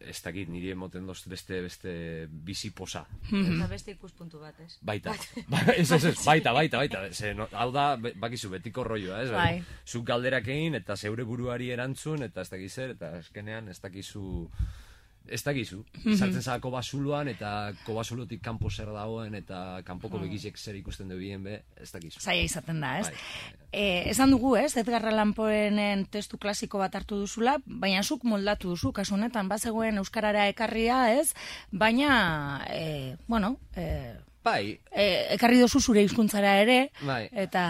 Speaker 4: ez dakit, niri emoten dozt beste, beste bizi posa.
Speaker 5: Eta beste ikuspuntu bat, ez?
Speaker 4: Baita, ez, ez, ez, baita, baita, baita. Ze, no, hau da, bakizu, betiko rolloa, ez?
Speaker 1: Bai.
Speaker 4: Zuk galderak egin, eta zeure buruari erantzun, eta ez dakiz zer, eta eskenean ez dakizu... Ez dakizu, sartzen zara kobasuluan, eta kobasulutik kanpo zer dagoen, eta kanpoko begizek zer ikusten dubien be, ez dakizu.
Speaker 1: Zaila izaten da, ez?
Speaker 4: Bai.
Speaker 1: Eh, esan dugu, ez, Edgar Allan Poeren testu klasiko bat hartu duzula, baina zuk moldatu duzu, kasu honetan, bazegoen euskarara ekarria, ez? Baina, eh, bueno, eh,
Speaker 4: Bai.
Speaker 1: E, ekarri dozu zure hizkuntzara ere,
Speaker 4: bai.
Speaker 1: Eta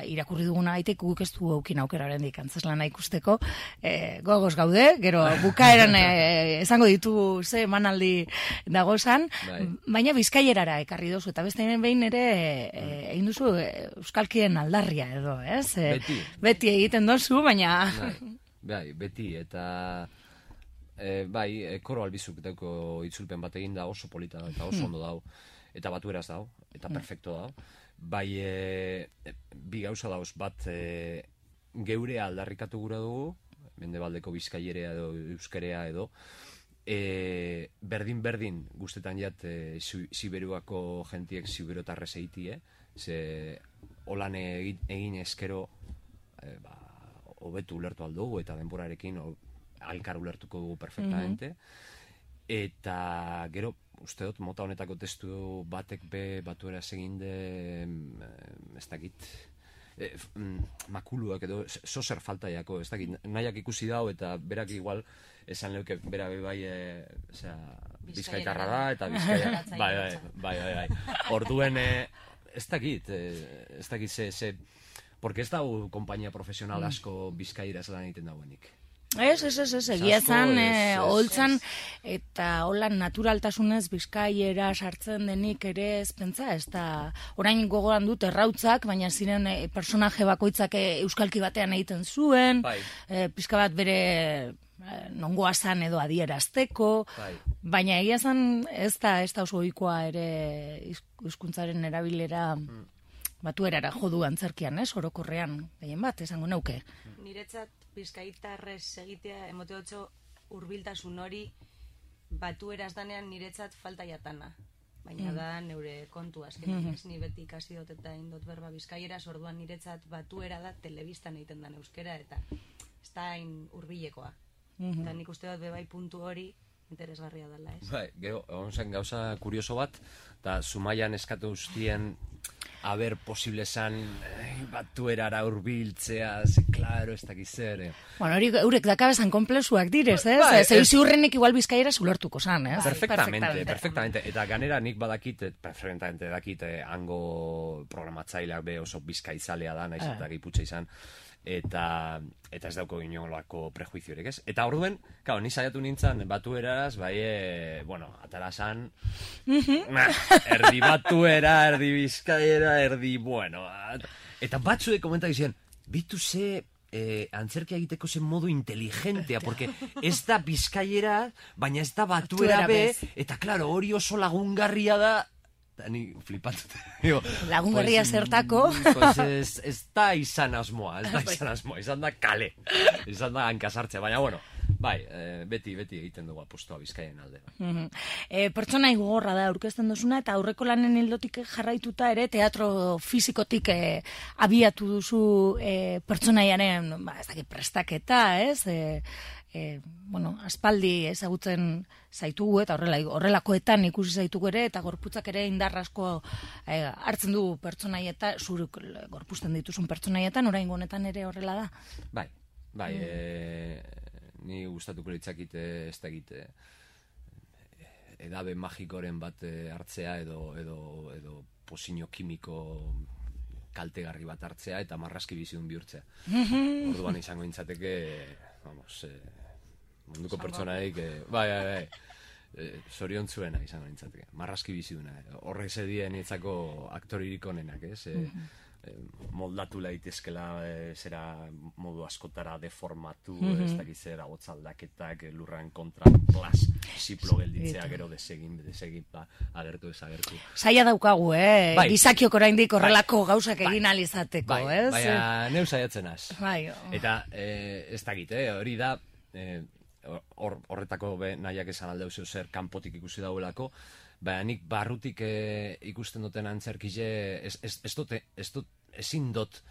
Speaker 1: irakurri duguna gaitek guk ez du aukin aukera oraindik antzeslana ikusteko. E, gogoz gaude, gero bukaeran e, esango ditu ze emanaldi dagozan, bai. Baina bizkaierara ekarri dozu, eta beste behin ere e, egin duzu euskalkien aldarria edo, ez? E,
Speaker 4: beti.
Speaker 1: Beti egiten dozu, baina...
Speaker 4: Bai, bai beti, eta... E, bai, e, koro albizuk dauko itzulpen bat egin da oso polita eta oso ondo dau. Eta batu eraz dau, eta perfecto dau. Bai, e, bi gauza dauz, bat e, geurea aldarrikatu gura dugu, mendebaldeko bizkaierea edo euskerea edo, e, berdin-berdin guztetan jat e, Siberuako jentiek siberotarrez eitie, ze holan egin, egin eskero e, ba, hobetu ulertu aldugu, eta denborarekin alkar ulertuko dugu perfectamente, mm-hmm. Eta gero, uste dut, mota honetako testu batek be batuera eginde, ez dakit, e, makuluak edo zozer faltaiako, ez dakit, nahiak ikusi dau eta berak igual esan leuke bera be bai, e, osea, bizkaitarra da, eta bizkaia, bai, bai, bai, bai, bai. Orduen, e, ez dakit, e, ez dakit ze, ze, porque ez dau kompainia profesional asko bizkaira lan egiten dauenik.
Speaker 1: Ez, ez, ez, ez, egia zan, e, holtzan, eta holan naturaltasunez bizkaiera sartzen denik ere ez pentsa, ez da, orain gogoan dut errautzak, baina ziren e, personaje bakoitzak e, euskalki batean egiten zuen,
Speaker 4: bai.
Speaker 1: e, pizka bat bere e, nongoa zan edo adierazteko, bai. Baina egia zan ez da, ez da oso ohikoa ere hizkuntzaren erabilera mm. batuerara jodu antzerkian, ez, orokorrean, gehien bat, esango nauke.
Speaker 5: Niretzat bizkaitarrez egitea emoteotxo hurbiltasun hori batu erazdanean niretzat falta jatana. Baina mm. da neure kontu azken. Mm-hmm. Ez ni beti ikasi dut eta indot berba bizkaieraz, orduan niretzat batuera da telebistan egiten dan euskera eta ez da hain hurbilekoa. Mm-hmm. Eta nik uste dut bebai puntu hori interesgarria dela, ez?
Speaker 4: Bai, gero, egon zen gauza kurioso bat, eta Zumaian eskatu guztien haber posible zan eh, batuerara urbiltzea, ze, klaro, ez dakiz zer. Eh.
Speaker 1: Bueno, hori eurek dakabezan komplexuak direz, ez?
Speaker 4: Ba,
Speaker 1: Zer ziurrenik igual bizkaira zulertuko zan, ez?
Speaker 4: Perfectamente, perfectamente, perfectamente. Eta ganera nik badakit, perfectamente dakit, eh, hango programatzaileak be oso bizkaizalea da, naiz eta giputxa izan, eta eta ez dauko inolako prejuiziorik, ez? Eta orduen, claro, ni saiatu nintzen batueraz, bai, e, bueno, atarasan nah, erdi batuera, erdi bizkaiera, erdi, bueno, at... eta batzuek komentak izan, bitu ze eh, antzerkia egiteko zen modu inteligentea, porque ez da bizkaiera, baina ez da batuera be, eta claro, hori oso lagungarria da, ni flipatut.
Speaker 1: Lagungarria pues, zertako.
Speaker 4: Pues ez, ez da izan asmoa, ez da izan asmoa, izan da kale, izan da hankasartzea, baina bueno, bai, e, beti, beti egiten dugu apostoa Bizkaien alde.
Speaker 1: Mm-hmm. E, pertsona igorra da aurkezten duzuna, eta aurreko lanen ildotik jarraituta ere, teatro fizikotik e, abiatu duzu e, pertsonaiaren, ba, ez dakit prestaketa, ez? E, E, bueno, aspaldi ezagutzen zaitugu eta horrela, horrelakoetan ikusi zaitugu ere, eta gorputzak ere indar asko e, hartzen du pertsonaieta, zuruk gorpuzten dituzun pertsonaietan, oraingo honetan ere horrela da?
Speaker 4: Bai, bai, mm. e, ni gustatuko litzakite ez da egite edabe magikoren bat hartzea edo, edo, edo posino kimiko kaltegarri bat hartzea eta marraski bizidun bihurtzea. Mm-hmm. Orduan izango intzateke, vamos, eh, munduko pertsonaik, eh, bai, bai, bai, eh, zoriontzuena izango nintzateke, marraski biziduna. Horrez edien itzako aktoririk onenak, ez? Eh, mm-hmm. moldatu daitezkela e, zera modu askotara deformatu,
Speaker 1: Mhm.
Speaker 4: ez dakiz zera aldaketak, lurran kontra plas, ziplo gelditzea, gero desegin, desegin, ba, agertu ez agertu.
Speaker 1: Saia daukagu, eh?
Speaker 4: Bai.
Speaker 1: Gizakiok oraindik horrelako gauzak
Speaker 4: Bai.
Speaker 1: egin alizateko,
Speaker 4: Bai,
Speaker 1: ez?
Speaker 4: baina neu saiatzen az.
Speaker 1: Bai.
Speaker 4: Eta e, ez dakit, eh, hori da, e, hor, horretako be, nahiak esan aldeu zeu zer kanpotik ikusi dauelako, baina nik barrutik e, ikusten duten antzerkile, ez, ez, ez, dute, ez dut, ezin dut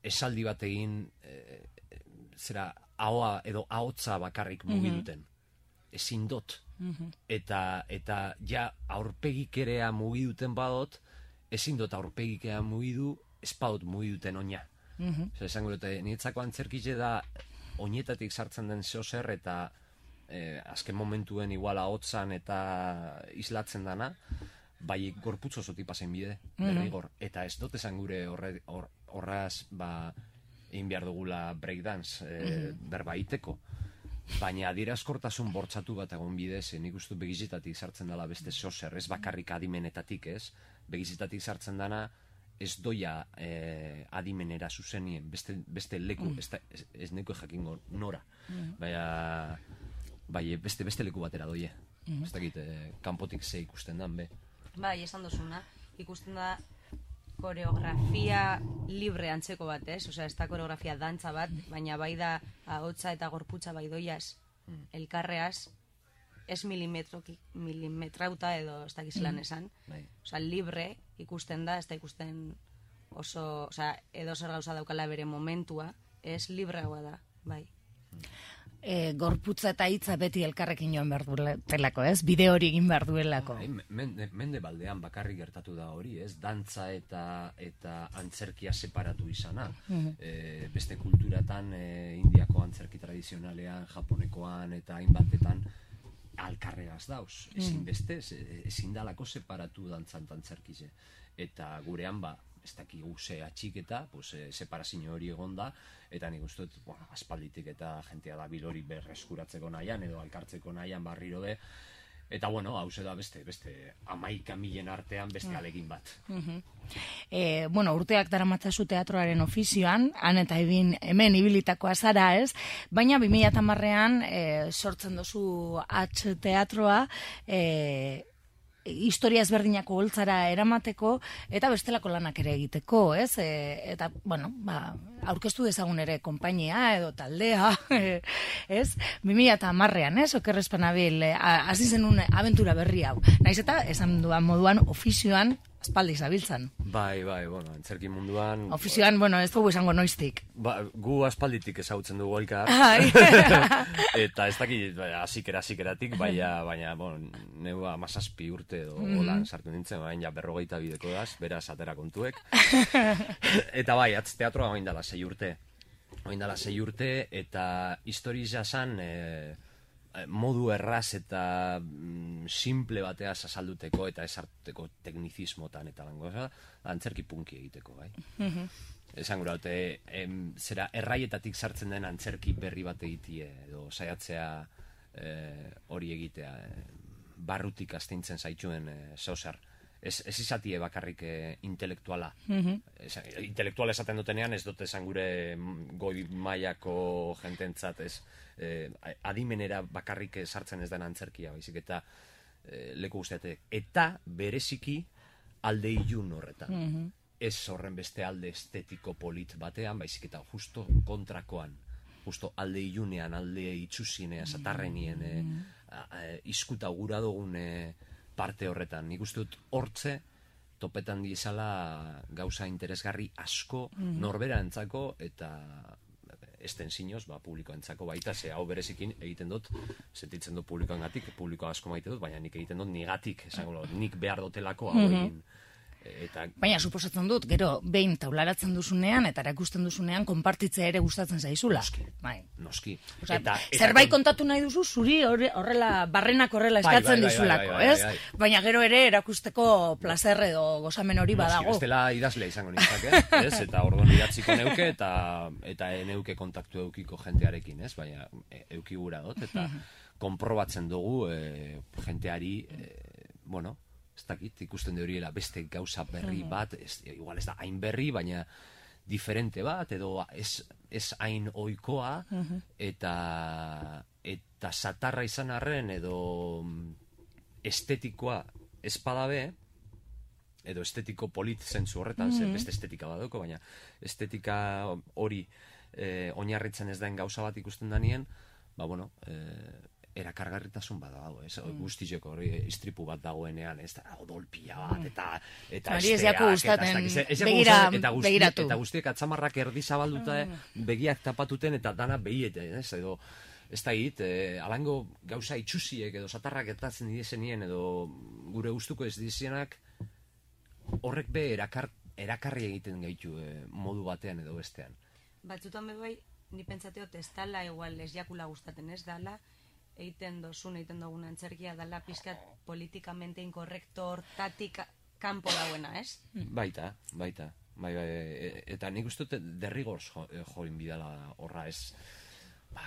Speaker 4: esaldi bat egin, e, zera, ahoa edo ahotza bakarrik mugi duten. Ezin dut. Eta, eta ja aurpegikerea mugi duten badot, ezin dut aurpegikea mugidu, ez badot mugi duten oina. Zer, esango dute, niretzako antzerkile da oinetatik sartzen den zeozer eta eh, azken momentuen igual ahotzan eta islatzen dana, bai gorputz osotik pasen bide, derrigor. Eta ez dut esan gure horre, hor, horraz, ba, egin behar dugula breakdance, e, berba iteko. Baina adierazkortasun bortzatu bat egon bidez, nik uste begizitatik sartzen dela beste zozer, ez bakarrik adimenetatik ez, begizitatik sartzen dana ez doia e, adimenera zuzenien, beste, beste leku, ez, da, ez, ez neko jakingo nora. Baina, bai, beste, beste leku batera doie. Ez dakit, e, kanpotik ze ikusten dan, be.
Speaker 5: Bai, esan duzuna, ikusten da koreografia libre antzeko bat, ez? Osea, ez da koreografia dantza bat, baina bai da ahotsa eta gorputza bai doiaz, elkarreaz, ez milimetrauta edo ez dakiz lan esan.
Speaker 4: Bai.
Speaker 5: Osea, libre ikusten da, ez da ikusten oso, osea, edo zer gauza daukala bere momentua, ez libreagoa da, bai.
Speaker 1: E, gorputza eta hitza beti elkarrekin joan behar duelako, ez? Bide hori egin behar duelako.
Speaker 4: Bai, mende, mende baldean bakarrik gertatu da hori, ez? Dantza eta eta antzerkia separatu izana. E, beste kulturatan, e, indiako antzerki tradizionalean, japonekoan eta hainbatetan alkarregaz dauz. Ezin beste, ezin dalako separatu dantzan antzerkize. Eta gurean ba, ez dakigu ze atxiketa, pues, e, separazio hori egon da, eta nik uste dut, bueno, aspalditik eta jentea da bilori berreskuratzeko nahian, edo alkartzeko nahian barriro be, eta bueno, hau da beste, beste amaika milen artean beste alegin bat.
Speaker 1: E, bueno, urteak daramatzazu teatroaren ofizioan, han eta ebin, hemen ibilitakoa zara, ez? Baina bi mila hamarrean e, sortzen dozu H teatroa, e, historia ezberdinako holtzara eramateko eta bestelako lanak ere egiteko, ez? E, eta, bueno, ba, aurkeztu dezagun ere konpainia edo taldea, ez? bi mila hamarrean, ez? Okerrezpanabil, hasi zenun abentura berri hau. Naiz eta, esan duan moduan, ofizioan, aspaldi zabiltzan.
Speaker 4: Bai, bai, bueno, antzerki munduan...
Speaker 1: Ofizioan, bueno, ez dugu esango noiztik.
Speaker 4: Ba, gu aspalditik ezagutzen dugu elkar. Eta ez dakit, hasikera, hasikeratik, baina, baina, bueno, neu amazazpi urte edo mm. holan sartu nintzen, baina ja berrogeita bideko daz, beraz atera kontuek. Eta bai, atz teatroa oin dala sei urte. Oin dala sei urte, eta historia zan... E, modu erraz eta mm, simple bateaz azalduteko eta esarteko teknizismotan eta lango, antzerki punki egiteko, bai. Mm-hmm. Esan gura, em, zera erraietatik sartzen den antzerki berri bat egitie, edo saiatzea eh, hori egitea, eh, barrutik astintzen zaituen eh, zeusar. Ez, ez izatie bakarrik eh, intelektuala. Mm-hmm. Es, intelektuala esaten dutenean ez dute esan gure goi mailako jententzat, ez eh, adimenera bakarrik sartzen ez den antzerkia, baizik eta eh, leku guztiatek. Eta bereziki alde ilun horretan. Mm-hmm. Ez horren beste alde estetiko polit batean, baizik eta justo kontrakoan. Justo alde ilunean, alde itxusinea, satarrenien, eh, iskuta gura dugun eh, parte horretan. Nik uste dut hortze topetan dizala gauza interesgarri asko mm. norbera entzako eta estensinoz, ba, publikoa entzako baita, ze hau berezikin egiten dut, sentitzen dut publikoan gatik, publikoa asko maite dut, baina nik egiten dut nigatik, esango, nik behar dotelako hau egin. Mm-hmm. Eta... Baina
Speaker 1: suposatzen dut, gero, behin taularatzen duzunean, eta erakusten duzunean, konpartitzea ere gustatzen zaizula.
Speaker 4: Noski,
Speaker 1: bai.
Speaker 4: noski.
Speaker 1: Osa, eta, eta, zerbait kon... kontatu nahi duzu, zuri horrela, barrenak horrela eskatzen bai, bai, dizulako, bai, bai, bai, bai, ez? Baina gero ere erakusteko plazer edo gozamen hori badago.
Speaker 4: Noski, bestela idazlea izango nintzake, ez? Eta orduan idatziko neuke, eta eta neuke kontaktu eukiko jentearekin, ez? Baina eukigura dut, eta konprobatzen dugu e, jenteari, e, bueno, ez dakit, ikusten de horiela beste gauza berri bat, ez, igual ez da hain berri, baina diferente bat, edo ez, ez hain ohikoa, eta, eta satarra izan arren, edo estetikoa espadabe, edo estetiko polit zentzu horretan, zer beste estetika badauko, baina estetika hori eh, oinarritzen ez den gauza bat ikusten danien, ba bueno, eh, erakargarritasun bada dago, ez? Mm. Guztiok hori istripu bat dagoenean, ez da, odolpia bat, eta eta
Speaker 1: Hori ez jako gustaten, begira,
Speaker 4: eta guzti,
Speaker 1: begiratu.
Speaker 4: Eta guztiek atzamarrak erdi zabalduta, mm. begiak tapatuten, eta dana behiete, ez? Edo, ez da hit, eh, alango gauza itxusiek, edo satarrak etatzen dizenien, edo gure gustuko ez dizienak, horrek be erakar, erakarri egiten gaitu eh, modu batean edo bestean.
Speaker 5: Batzutan bebai, ni pentsateot ez dala, igual ez jakula gustaten ez dala, egiten dozun, egiten dugun antzerkia dala pizkat politikamente inkorrekto hortatik kanpo dauena, ez?
Speaker 4: Baita, baita. Bai, bai, eta nik uste dut derrigorz jo, join bidala horra, ez, ba,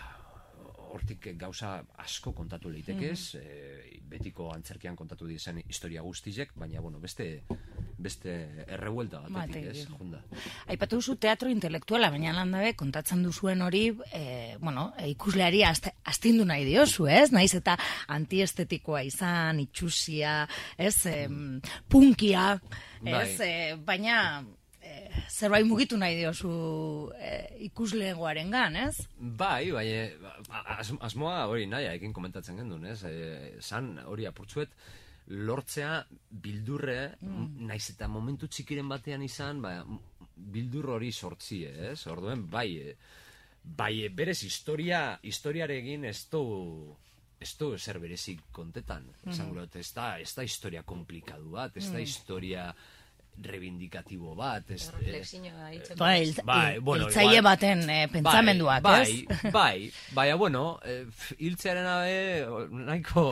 Speaker 4: hortik gauza asko kontatu leitekez, mm -hmm. e, betiko antzerkian kontatu dizen historia guztizek, baina, bueno, beste beste errevuelta batetik, ez, jonda.
Speaker 1: Aipatu duzu teatro intelektuala, baina landabe kontatzen duzuen hori, e, bueno, e, ikusleari astindu nahi diozu, ez? Naiz eta antiestetikoa izan, itxusia, ez, e, punkia, ez, e, baina zerbait mugitu nahi diozu e, ikuslegoaren gan, ez?
Speaker 4: Bai, bai, as, asmoa hori nahi, ekin komentatzen gendun, ez? E, zan hori apurtzuet, lortzea bildurre, mm. naiz eta momentu txikiren batean izan, ba, bildur hori sortzie, ez? Orduen, bai, bai, berez historia, historiaregin ez du, ez du zer berezik kontetan, esango dut, ez da, ez da historia komplikadu bat, ez da historia reivindikatibo bat, ez,
Speaker 5: reflexioa hitzen.
Speaker 1: Bai, bai, bueno, hiltzaile baten eh, pentsamenduak,
Speaker 4: bai,
Speaker 1: ez?
Speaker 4: Bai, bai, baina, bueno, eh, hiltzearen abe, nahiko,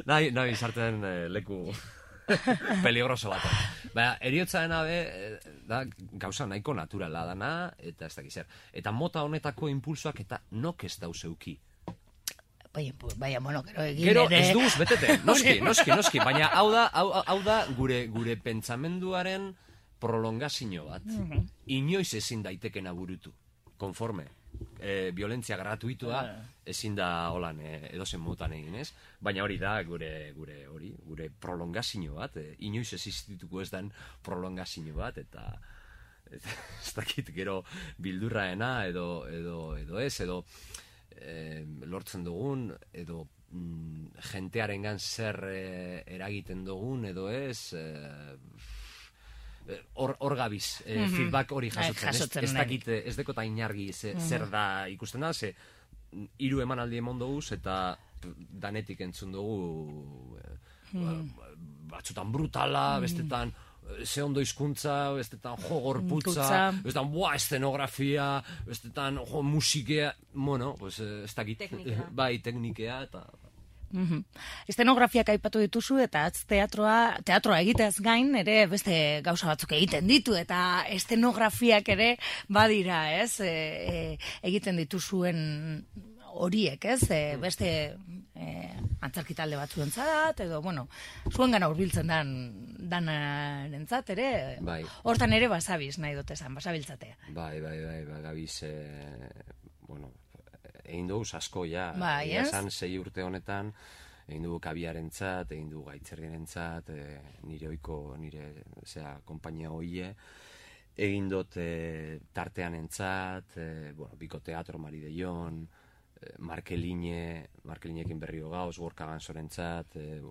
Speaker 4: nahi, nahi sartzen eh, leku peligroso bat. Baina, eriotzaren abe, eh, da, gauza nahiko naturala dana, eta ez dakiz zer. Eta mota honetako impulsoak eta nok ez dauzeuki.
Speaker 1: Baina, baina, bueno, gero egin
Speaker 4: gero
Speaker 1: ere...
Speaker 4: ez duz, betete, noski, noski, noski, baina hau da, hau, hau da gure, gure pentsamenduaren prolongazio bat. Mm -hmm. Inoiz ezin daitekena burutu, konforme. E, violentzia gratuitua ezin da holan e, edozen motan egin, ez? Baina hori da gure gure hori, gure prolongazio bat, e, inoiz existituko ez den prolongazio bat, eta ez dakit gero bildurraena edo, edo, edo ez, edo E, lortzen dugun, edo mm, jentearengan zer e, eragiten dugun, edo ez, hor e, gabiz, e, mm -hmm. feedback hori jasotzen, jasotzen ez, ez dakit, ez dekota inargi ze, mm -hmm. zer da ikusten da, ze hiru emanaldi emon duguz, eta danetik entzun dugu e, mm -hmm. batzutan brutala, mm -hmm. bestetan ze ondo hizkuntza, bestetan jo gorputza, bestetan boa eszenografia, bestetan jo musikea, bueno, pues ez dakit, bai, teknikea eta...
Speaker 1: Mm-hmm. Estenografiak aipatu dituzu eta atz teatroa, teatroa egiteaz gain ere beste gauza batzuk egiten ditu eta estenografiak ere badira, ez? E, e, egiten dituzuen horiek, ez? E, beste e, antzerki talde batzuentzat edo, bueno, zuengana hurbiltzen dan danarentzat ere,
Speaker 4: bai.
Speaker 1: Hortan ere basabiz nahi dut esan, basabiltzatea.
Speaker 4: Bai, bai, bai, bai, gabiz, e, bueno, egin dugu asko, ja,
Speaker 1: bai,
Speaker 4: esan sei urte honetan, egin dugu kabiarentzat, egin dugu gaitzerriarentzat, e, nire oiko, nire, zera, kompainia hoie, egin dut e, tartean entzat, e, bueno, Biko Teatro, Mari de Jon, Markeline, Markelinekin berrio gauz, Gorka Gansorentzat. E,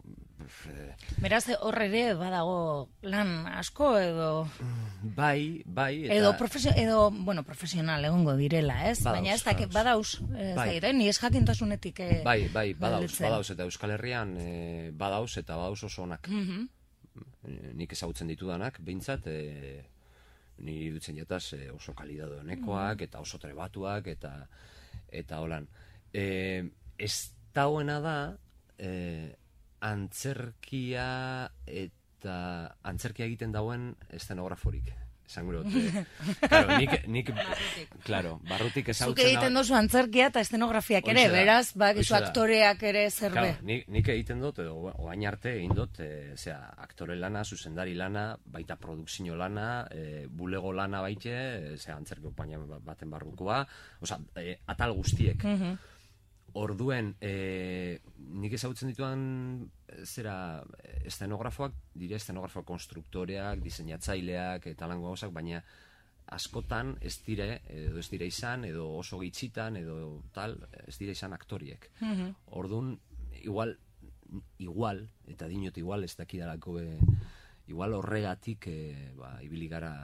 Speaker 4: e,
Speaker 1: Beraz, horre ere badago lan asko edo...
Speaker 4: Bai, bai. Eta...
Speaker 1: Edo, profesio, edo, bueno, profesional egongo direla, ez?
Speaker 4: Badauz,
Speaker 1: baina ez da, badauz, ez bai. da, ni ez jakintasunetik... E,
Speaker 4: bai, bai, badauz, badauz, eta Euskal Herrian e, badauz, eta badauz oso onak. Mm -hmm. Nik ezagutzen ditudanak, behintzat, e, niri dutzen jataz e, oso kalidado honekoak, mm. eta oso trebatuak, eta... eta holan. E, ez dauena da e, antzerkia eta antzerkia egiten dauen estenograforik. esan gure dut. Claro, nik, nik, claro, barrutik
Speaker 1: Zuk
Speaker 4: ezautzen...
Speaker 1: egiten dozu antzerkia eta estenografiak ere,
Speaker 4: Horixe da,
Speaker 1: beraz, ba, gizu
Speaker 4: horixe da.
Speaker 1: aktoreak ere zerbe.
Speaker 4: Claro, nik, nik egiten dut, edo oain arte egin dut, e, zera, aktore lana, zuzendari lana, baita produkzio lana, e, bulego lana baite, e, zera, antzerki opaina baten barrukoa, oza, e, atal guztiek.
Speaker 1: Mhm.
Speaker 4: Orduen, e, nik ezagutzen dituan, zera, estenografoak, dire estenografoak konstruktoreak, diseinatzaileak, eta lango gauzak, baina askotan ez dire, edo ez dire izan, edo oso gitzitan, edo tal, ez dire izan aktoriek.
Speaker 1: Mhm.
Speaker 4: Orduan, igual, igual, eta dinot igual ez dakidalako, e, igual horregatik, e, ba, ibili gara,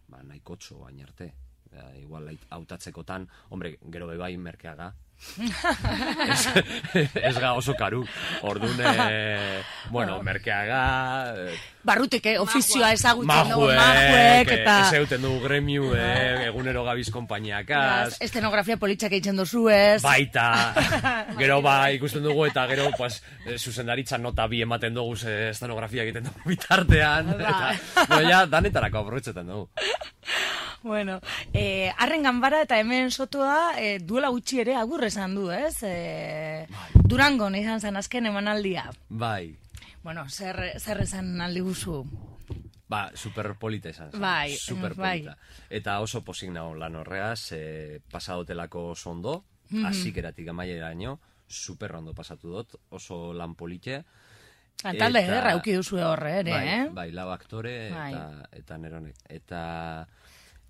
Speaker 4: ba, nahikotxo baina arte. Ba, igual hautatzekotan, hombre, gero bebai merkeaga, ez, ez ga oso karu. Orduan, e, bueno, merkeaga... E,
Speaker 1: Barrutik, eh, ofizioa ezagutzen dugu,
Speaker 4: majuek,
Speaker 1: majuek, eta...
Speaker 4: ez euten dugu gremiu, eh, egunero gabiz konpainiakaz.
Speaker 1: Estenografia politxak egiten dozu ez.
Speaker 4: Baita, gero ba ikusten dugu eta gero pues, zuzendaritza nota bi ematen dugu ze estenografia egiten dugu bitartean. Eta, no, ja, danetarako aprobetxetan dugu.
Speaker 1: Bueno, eh, arren ganbara eta hemen sotoa eh, duela gutxi ere agur esan du, ez? Eh, Durangon izan zen azken emanaldia.
Speaker 4: Bai.
Speaker 1: Bueno, zer, zer esan aldi guzu?
Speaker 4: Ba, superpolita esan zen.
Speaker 1: Bai,
Speaker 4: superpolita. Eta oso posik nago lan horreaz, eh, pasadotelako oso ondo,
Speaker 1: Mhm.
Speaker 4: hasikeratik amaieraino, super ondo pasatu dut, oso lan polite.
Speaker 1: Talde
Speaker 4: Eta-
Speaker 1: ederra auki duzu horre ere,
Speaker 4: bai,
Speaker 1: eh?
Speaker 4: Bai, lau aktore
Speaker 1: Bai.
Speaker 4: eta, eta neronek. Eta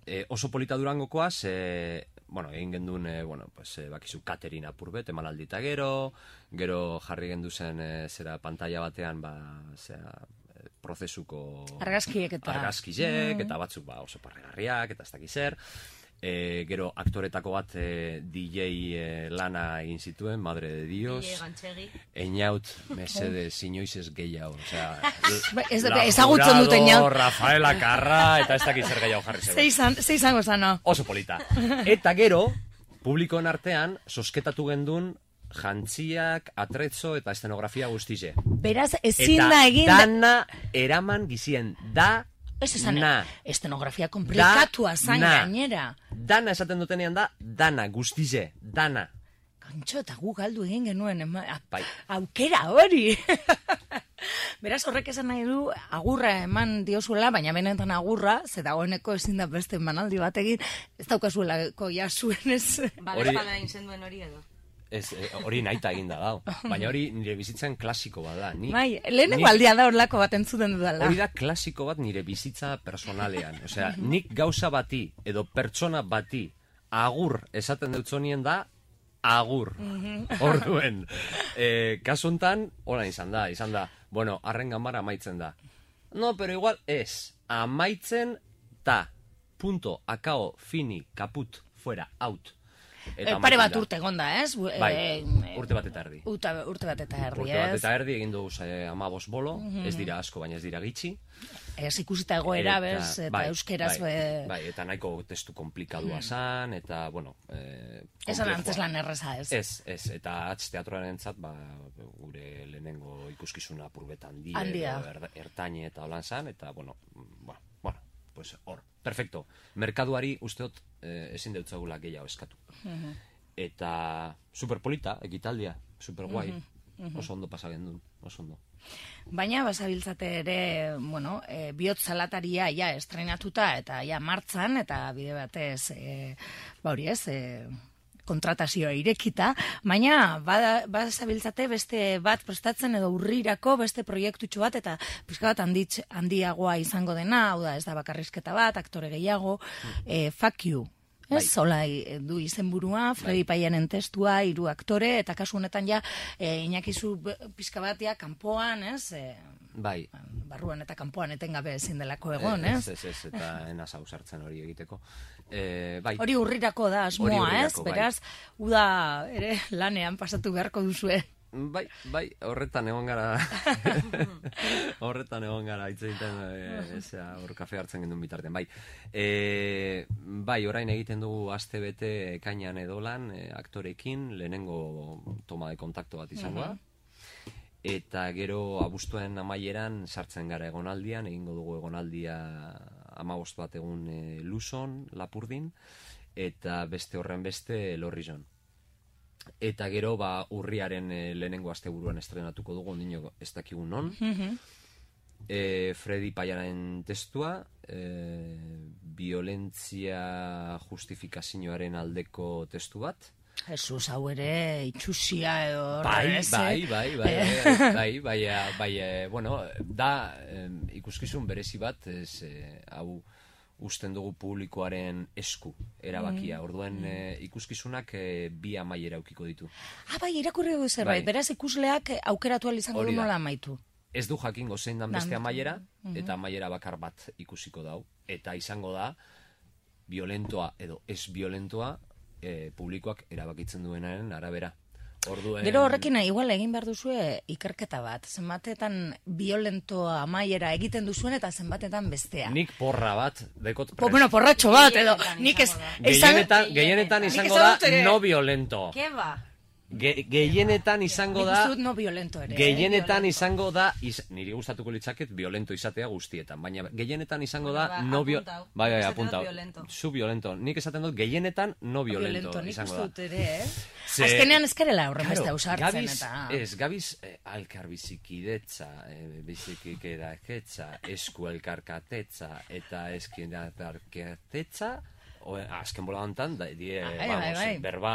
Speaker 4: e, oso polita Durangokoaz, e, bueno, egin genduen, e, bueno, pues, e, bakizu Katerin apurbet, emanaldi eta gero, gero jarri gendu zen, e, zera, pantalla batean, ba, zera, e, prozesuko...
Speaker 1: Argazkiek eta-
Speaker 4: Argazkiek,
Speaker 1: Mm.
Speaker 4: eta batzuk, ba, oso parregarriak, eta ez dakiz zer. E, gero aktoretako bat e, D J e, lana egin zituen, madre de Dios.
Speaker 5: Ile gantxegi.
Speaker 4: Einaut, mesede, inoiz ez gehiago. Osea,
Speaker 1: Ba, ez dute,
Speaker 4: La
Speaker 1: ezagutzen dut
Speaker 4: Jurado,
Speaker 1: Einaut.
Speaker 4: Rafaela Carrà, eta ez dakit zer gehiago jarri
Speaker 1: Ze
Speaker 4: zebe.
Speaker 1: izan, ze izango zano.
Speaker 4: Oso polita. Eta gero, publikoen artean, sosketatu gendun jantziak, atrezzo eta estenografia guztize.
Speaker 1: Beraz, ezin
Speaker 4: Eta
Speaker 1: da egin...
Speaker 4: dana eraman gizien, da,
Speaker 1: Ez esan,
Speaker 4: na.
Speaker 1: estenografia komplikatua zan
Speaker 4: na.
Speaker 1: gainera.
Speaker 4: Dana esaten dutenean da, dana, guztize, dana.
Speaker 1: Kantxo, eta gu galdu egin genuen, ema, a-
Speaker 4: Bai.
Speaker 1: aukera hori. Beraz, horrek esan nahi du, agurra eman diozuela, baina benetan agurra, ze dagoeneko ezin da beste emanaldi bat egin, ez daukazuelako ja zuen ez.
Speaker 5: Ba,
Speaker 4: Hori-
Speaker 5: bezpala egin duen hori edo.
Speaker 4: Ez, eh, hori nahita eginda dau. Baina hori nire bizitzan klasiko bada. Ni,
Speaker 1: Bai, lehenengo
Speaker 4: nik-
Speaker 1: aldia da horlako bat entzuten dudala.
Speaker 4: Hori da klasiko bat nire bizitza personalean. Osea, nik gauza bati edo pertsona bati agur esaten dutzonien da agur. Orduen, eh, kasu hontan, hola izan da, izan da, bueno, arren ganbara amaitzen da. No, pero igual ez, amaitzen da, punto, akao, fini, kaput, fuera, out.
Speaker 1: Eh, pare bat
Speaker 4: amaitzen da.
Speaker 1: urte egonda, ez? Bu-
Speaker 4: Bai,
Speaker 1: eh,
Speaker 4: urte bat eta erdi.
Speaker 1: Uta, urte bat eta erdi,
Speaker 4: Urte bat
Speaker 1: ez?
Speaker 4: eta erdi egin dugu eh, amabos bolo, ez dira asko, baina ez dira gitxi.
Speaker 1: Ez ikusita egoera,
Speaker 4: Eta-
Speaker 1: bez, eta
Speaker 4: bai,
Speaker 1: euskeraz...
Speaker 4: bai,
Speaker 1: be-
Speaker 4: bai, eta nahiko testu komplikadua zan, eta, bueno... Eh,
Speaker 1: Esan
Speaker 4: konplexua.
Speaker 1: antzeslan erreza, ez?
Speaker 4: Ez, ez, eta atz teatroaren entzat, ba, gure lehenengo ikuskizuna apurbet handia,
Speaker 1: Handia.
Speaker 4: edo er, ertaine eta holan zan, eta, bueno, mm, bueno, bueno, pues hor, perfecto. Merkaduari usteot eh, ezin deutzagula gehiago eskatu. Eta superpolita, ekitaldia, superguai, oso ondo pasa gendun, oso ondo.
Speaker 1: Baina basabiltzate ere, bueno, e, bihotz salataria ja estrenatuta eta ja martzan, eta bide batez, e, ba hori ez, e, kontratazioa irekita, baina bada- basabiltzate beste bat prestatzen edo urrirako beste proiektutxo bat, eta pixka bat handitz, handiagoa izango dena, hau da ez da bakarrizketa bat, aktore gehiago, e, fuck you. Ez,
Speaker 4: Bai.
Speaker 1: zola e, du izenburua, Fredi Paianen testua, hiru aktore, eta kasu honetan ja, e, inakizu pixka batia kanpoan, ez, e,
Speaker 4: Bai,
Speaker 1: barruan eta kanpoan etengabe ezin delako egon,
Speaker 4: ez,
Speaker 1: ez?
Speaker 4: ez, ez, eta enaz ausartzen hori egiteko. Eh, bai,
Speaker 1: Hori urrirako da asmoa,
Speaker 4: Hori
Speaker 1: ez?
Speaker 4: urrirako, bai.
Speaker 1: Beraz, uda ere lanean pasatu beharko duzue.
Speaker 4: bai, bai, horretan egon gara, horretan egon gara, hitz egiten, e, ezea, hor kafe hartzen gendun bitartean, bai. E, bai, orain egiten dugu aste bete ekainan edolan, e, aktorekin, lehenengo toma de kontakto bat izango da. Eta gero abuztuen amaieran sartzen gara egonaldian, egingo dugu egonaldia hamabost bat egun e, Luzon, Lapurdin, eta beste horren beste Lorrizon. Eta gero, ba, urriaren e, lehenengo asteburuan estrenatuko dugu, ondino ez dakigu non. e, Freddy Paiaren testua, e, violentzia justifikazioaren aldeko testu bat.
Speaker 1: Jesus, hau ere, itxusia edo...
Speaker 4: Bai,
Speaker 1: ez,
Speaker 4: bai,
Speaker 1: eh?
Speaker 4: bai, bai, bai, bai, bai, bai, bueno, da eh, ikuskizun berezi bat, ez, eh, hau usten dugu publikoaren esku erabakia. Orduan eh, ikuskizunak eh, bi amaiera aukiko ditu.
Speaker 1: Ah, bai, irakurri du zerbait,
Speaker 4: Bai.
Speaker 1: beraz ikusleak aukeratu ahal izango
Speaker 4: Hori
Speaker 1: du
Speaker 4: da.
Speaker 1: nola amaitu.
Speaker 4: Ez du jakingo zein dan beste
Speaker 1: Dan-
Speaker 4: amaiera, eta amaiera bakar bat ikusiko dau. Eta izango da, violentoa edo ez violentoa, eh, publikoak erabakitzen duenaren arabera. Orduen...
Speaker 1: Gero horrekin igual egin behar duzue ikerketa bat, zenbatetan violentoa amaiera egiten duzuen eta zenbatetan bestea.
Speaker 4: Nik porra bat, dekot
Speaker 1: Po, bueno, porratxo bat, edo
Speaker 5: Gehienetan
Speaker 1: nik ez...
Speaker 5: izango da.
Speaker 1: esan-
Speaker 4: Gehienetan, gehienetan
Speaker 1: Nik
Speaker 4: izango
Speaker 1: esan
Speaker 4: da
Speaker 1: dut ere.
Speaker 4: no violento.
Speaker 5: Ke ba?
Speaker 4: Ge, gehienetan izango
Speaker 1: Nik
Speaker 4: da...
Speaker 1: uste dut no violento ere. eh?
Speaker 4: Gehienetan izango da, iz, niri gustatuko litzaket violento izatea guztietan, baina gehienetan izango da
Speaker 5: Ba,
Speaker 4: no bio...
Speaker 5: apuntau.
Speaker 4: Bai, bai,
Speaker 5: Esaten dut
Speaker 4: apuntau.
Speaker 5: violento.
Speaker 4: Zu violento. Nik esaten dut gehienetan no violento,
Speaker 1: Nik
Speaker 4: izango
Speaker 1: uste
Speaker 4: da.
Speaker 1: dut ere, eh?
Speaker 4: Ze-
Speaker 1: Azkenean ezkerela horren
Speaker 4: Claro,
Speaker 1: beste ausartzen
Speaker 4: gabiz,
Speaker 1: eta...
Speaker 4: Ez, gabiz eh, alkar bizikidetza, eh, bizikidetza, esku elkarkatetza eta eskin elkarkatetza, o, azken bola hontan, da, die,
Speaker 1: Ah, bai,
Speaker 4: vamos,
Speaker 1: bai, bai.
Speaker 4: berba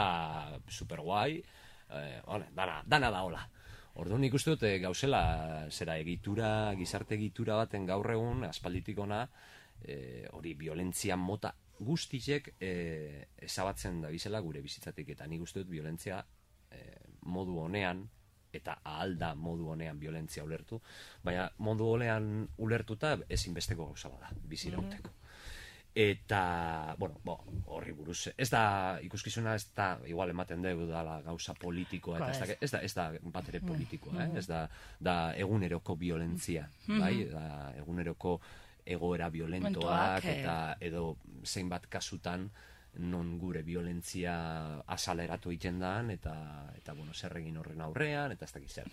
Speaker 4: super guai, eh, ole, dana, dana da hola. Orduan nik uste dut eh, gauzela zera egitura, gizarte egitura baten gaur egun, aspalditik ona, eh, hori violentzia mota guztiek eh, ezabatzen da bizela gure bizitzatik, eta nik uste dut violentzia eh, modu honean, eta ahal da modu honean violentzia ulertu, baina modu honean ulertuta ezinbesteko gauza bada, bizirauteko. Eta, bueno, bo, horri buruz, ez da, ikuskizuna ez da, igual ematen dugu dala gauza politikoa, eta ez da, ez da, ez da bat ere politikoa, eh? Ez da, da eguneroko violentzia, bai, da eguneroko egoera violentoak,
Speaker 1: Momentuak, eh.
Speaker 4: eta edo zeinbat kasutan non gure violentzia azaleratu egiten dan, eta, eta bueno, zer egin horren aurrean, eta ez dakit zer.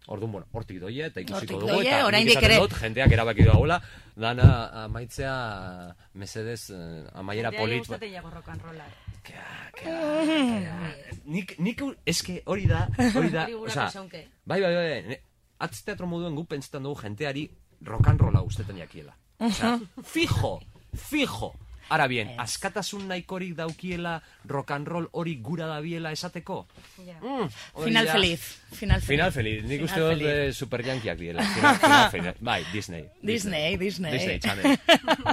Speaker 4: Orduan, bueno, hortik doie, eta ikusiko
Speaker 1: Hortik
Speaker 4: dugu,
Speaker 1: doie,
Speaker 4: eta nik
Speaker 1: oraindik
Speaker 4: esaten
Speaker 1: ere-
Speaker 4: dut, jendeak erabaki dagoela, dana amaitzea, mesedez, eh, amaiera
Speaker 5: Jendeari
Speaker 4: polit...
Speaker 5: gustatzen jago rock and rolla.
Speaker 4: Kea, kea, kea. Nik, nik, eske hori da, hori da,
Speaker 5: Hori gura
Speaker 4: osea,
Speaker 5: pesaunke.
Speaker 4: bai, bai, bai, bai, atz teatro moduen gu pentsetan dugu jenteari rock and rolla guztetan jakiela. Osea, fijo, fijo. Ara bien, askatasun nahikorik daukiela rock and roll hori gura dabiela esateko?
Speaker 5: Ja.
Speaker 4: Mm, hori
Speaker 1: Final
Speaker 4: da.
Speaker 1: feliz. Final feliz.
Speaker 4: Final feliz, nik
Speaker 1: Final
Speaker 4: uste dut
Speaker 1: feliz.
Speaker 4: eh, super yankiak diela. Final, final, final. Bai, Disney.
Speaker 1: Disney, Disney.
Speaker 4: Disney Channel,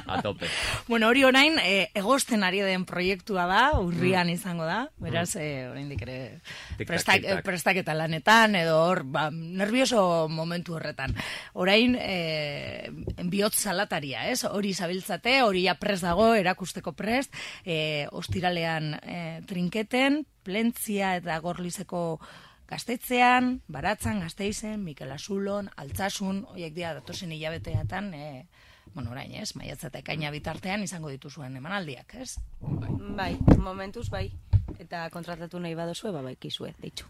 Speaker 4: a tope.
Speaker 1: Bueno, hori orain eh, egosten ari den proiektua da, urrian izango da, beraz, eh, oraindik ere
Speaker 4: Tic-tac,
Speaker 1: prestak,
Speaker 4: tic-tac.
Speaker 1: prestaketa lanetan, edo hor, ba, nervioso momentu horretan. Orain, eh, bihotz salataria, ez? Hori zabiltzate, hori ja prest dago, erakusteko prest, eh, ostiralean eh, trinketen, Plentzia eta Gorlizeko Gaztetzean, Baratzan, Gasteizen, Mikel Azulon, Altsasun, horiek dira datozen hilabeteatan, eh, bueno, orain, ez, maiatza eta ekaina bitartean izango dituzuen emanaldiak, ez?
Speaker 5: Bai, momentuz bai. Eta kontratatu nahi badozue, ba, baikizue, deitxu.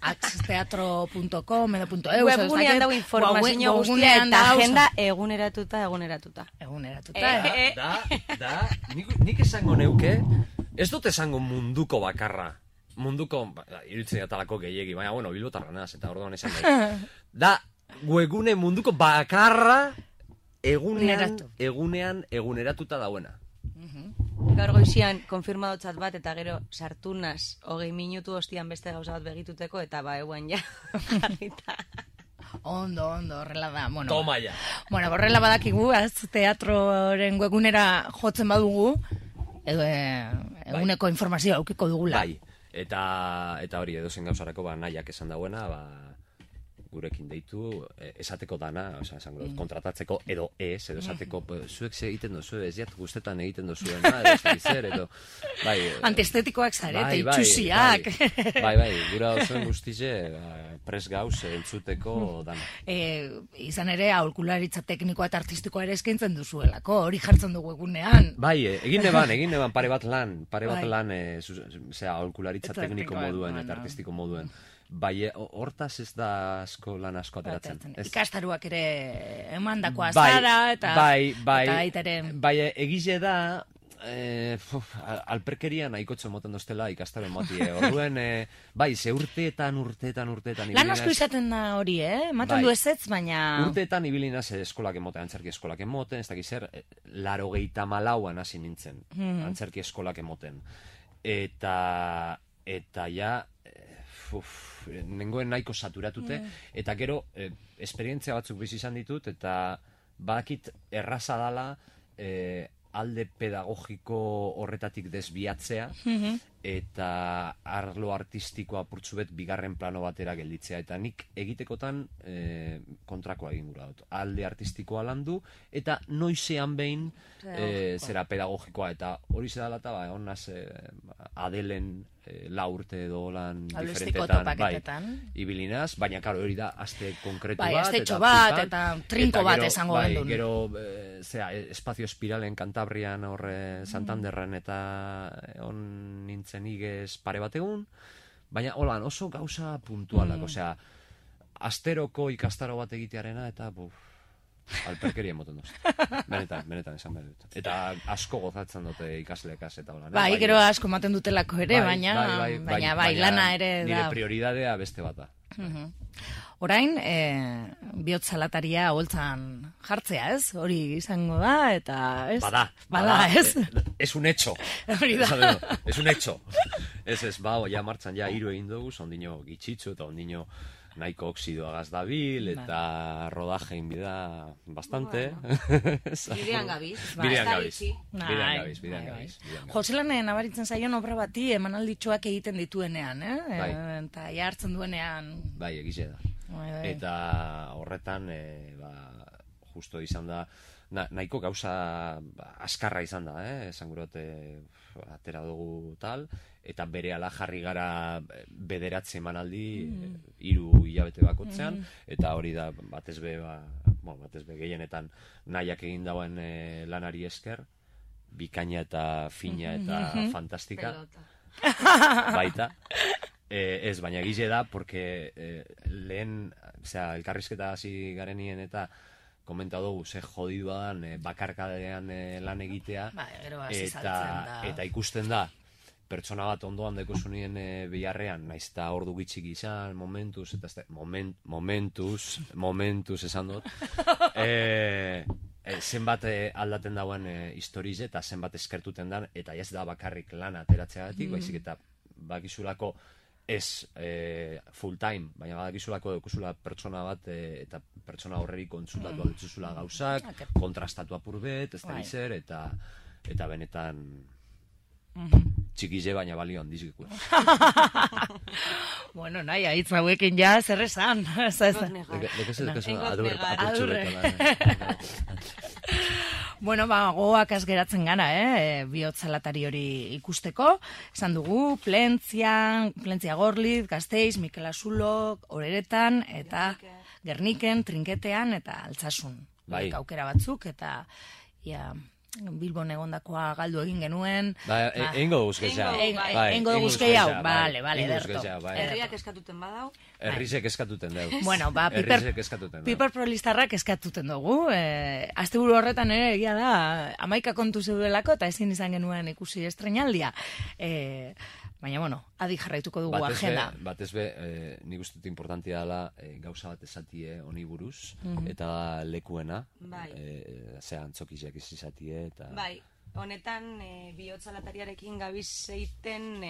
Speaker 1: axteatro punto com edo punto eu,
Speaker 5: Webgunean dago informazio guztia eta agenda eguneratuta, eguneratuta.
Speaker 1: Eguneratuta,
Speaker 5: Eh,
Speaker 1: eh?
Speaker 4: Da, da, nik, nik esango neuke, ez dut esango munduko bakarra. Munduko, ba, iruditzen atalako gehiegi, baina, bueno, bilbotarra naz, eta orduan esan nahi. Da, webgune munduko bakarra egunean,
Speaker 1: Eguneratu.
Speaker 4: egunean, eguneratuta dauena.
Speaker 5: Gaur goizian konfirmadotzat bat, eta gero sartu naz, hogei minutu ostian beste gauza bat begituteko, eta ba, eguan ja, jarrita.
Speaker 1: Ondo, ondo, horrela da. Bueno,
Speaker 4: Toma ya.
Speaker 1: Bueno, horrela badakigu, az, teatroren webgunera jotzen badugu, edo eh, eguneko informazioa aukiko dugula.
Speaker 4: Bai, eta, eta hori edozen gauzarako ba, nahiak esan dauena, ba, gurekin deitu, eh, esateko dana, osea, esango dut, kontratatzeko, edo ez, edo esateko, mm. zuek ze egiten dozu, ez jat guztetan egiten dozuena, edo ez dakit zer, edo, bai, eh,
Speaker 1: Antiestetikoak zarete,
Speaker 4: bai, bai,
Speaker 1: itxusiak.
Speaker 4: Bai, bai, bai, gura osoen guztize, ba, pres gauz, entzuteko dana.
Speaker 1: E, izan ere, aholkularitza teknikoa eta artistikoa ere eskaintzen duzuelako, hori jartzen dugu egunean.
Speaker 4: Bai, eh, egin neban, egin neban pare bat lan, pare bat
Speaker 1: Bai.
Speaker 4: lan, eh, zu- zera, aholkularitza
Speaker 1: Eta
Speaker 4: tekniko
Speaker 1: teknikoa,
Speaker 4: moduen
Speaker 1: bueno.
Speaker 4: eta artistiko moduen. bai, hortaz ez da asko lan asko ateratzen.
Speaker 1: Ikastaruak ere emandakoa
Speaker 4: bai,
Speaker 1: zara, eta
Speaker 4: bai, bai,
Speaker 1: eta aitaren...
Speaker 4: Bai, egize da, eh, uf, alperkeria nahikotxo moten doztela ikastaro motie. Orduen, eh, bai, ze urteetan, urteetan, urteetan...
Speaker 1: Lan asko izaten da hori, eh? Ematen bai, du ezetz, baina...
Speaker 4: Urteetan ibilinaz eskolak emoten, antzerki eskolak emoten, ez dakiz zer, laro gehieta malauan hasi nintzen, hmm. antzerki eskolak emoten. Eta, eta ja, uf, nengoen nahiko saturatute, yeah. eta gero, eh, esperientzia batzuk bizi izan ditut, eta badakit erraza dala, eh, alde pedagogiko horretatik desbiatzea, mm-hmm. eta arlo artistikoa purtsubet bigarren plano batera gelditzea. Eta nik egitekotan e, kontrakoa egin gura dut. Alde artistikoa landu, eta noizean behin e, zera pedagogikoa. Eta hori zedala eta ba, honaz e, Adelen e, la urte edo lan diferentetan. Bai, ibilinaz, baina karo hori da aste konkretu
Speaker 1: bai,
Speaker 4: bat.
Speaker 1: Aste txo bat, eta trinko bat esango
Speaker 4: bai,
Speaker 1: gendun.
Speaker 4: Gero, e, zera, espazio espiralen Kantabrian, horre Santanderren, eta on nintzen igez pare bat egun, baina holan oso gauza puntualak, mm. osea, asteroko ikastaro bat egitearena, eta buf, alperkeria emoten doz. Benetan, benetan esan behar dut. Eta asko gozatzen dute ikaslekaz eta holan.
Speaker 1: Bai, bai, gero asko ematen dutelako ere, bai, baina, bai, bai, bai, baina, bai, baina lana ere da.
Speaker 4: Nire prioridadea beste bat da.
Speaker 1: Uh-huh. Orain, e, bihotzalataria holtzan jartzea, ez? Hori izango da, eta ez?
Speaker 4: Bada,
Speaker 1: bada,
Speaker 4: bada
Speaker 1: ez?
Speaker 4: E, es un hecho.
Speaker 1: Hori da.
Speaker 4: Es un hecho. Ez ez, ba, ja martxan ja hiru egin dugu, ondino gitxitzu eta ondino nahiko oksidoagaz dabil, eta rodajein bida bastante.
Speaker 5: Bidean gabiz.
Speaker 4: Bidean gabiz. Bidean gabiz, bidean gabiz.
Speaker 1: Joselane nabaritzen zaion obra bati emanalditxoak egiten dituenean, eh?
Speaker 4: Bai.
Speaker 1: Eta jartzen duenean...
Speaker 4: Bai, egize da.
Speaker 1: Bai, bai.
Speaker 4: Eta horretan, e, ba, justo izan da, na, nahiko gauza ba, askarra izan da, eh? Esan gurot, e, atera dugu tal, eta bere ala jarri gara bederatze emanaldi, mm. hiru hilabete bakotzean, mm. eta hori da batez be, ba, bueno, batez be gehienetan nahiak egin dauen e, lanari esker, bikaina eta fina eta mm-hmm. fantastika. Pelota. Baita. E, ez, baina gize da, porque e, lehen, osea, elkarrizketa hasi garenien eta komenta dugu, ze jodidua dan, e, bakarkadean e, lan egitea,
Speaker 1: ba,
Speaker 4: eta, eta ikusten da, pertsona bat ondoan dekozunien e, biharrean, naiz eta ordu gitxik izan, momentuz, eta este, moment, momentuz, momentuz esan dut, e, e, zenbat e, aldaten dauen e, historize, eta zenbat eskertuten dan, eta ez da bakarrik lan ateratzeagatik, mm. baizik eta bakizulako ez e, full time, baina badakizulako dekusula pertsona bat e, eta pertsona horreri kontsultatu mm. altzuzula gauzak, okay. kontrastatu apurbet, ez da bizer, eta, eta benetan mm-hmm. txikize baina balio handizikua.
Speaker 1: Bueno, nahi, ahitz hauekin ja, zer esan. Bueno, ba, goak geratzen gara, eh? Bihotzalatari hori ikusteko. Esan dugu, Plentzian, Plentzia Gorliz, Gasteiz, Mikel Asulok, Oreretan, eta Gerniken, Trinketean, eta Altsasun.
Speaker 4: Bai.
Speaker 1: Aukera batzuk, eta ia... Bilbon egondakoa galdu egin genuen.
Speaker 4: Ba, egingo dugu guzkeiza.
Speaker 1: Egingo dugu guzkeiza, bale, bale, derto.
Speaker 5: Herriak eskatuten badau.
Speaker 4: Herrizek eskatuten dugu.
Speaker 1: Bueno, ba, Piper Prolistarrak eskatuten dugu. Asteburu horretan ere egia da, amaika kontu zeudelako, eta ezin izan genuen ikusi estrenaldia. Baina, bueno, adi jarraituko dugu agenda.
Speaker 4: Batez be, nik uste dut importantia dela gauza bat esatie honi buruz, eta lekuena, zea antzokiziak izatie, eta...
Speaker 5: Bai, honetan bihotzalatariarekin gabiz zeiten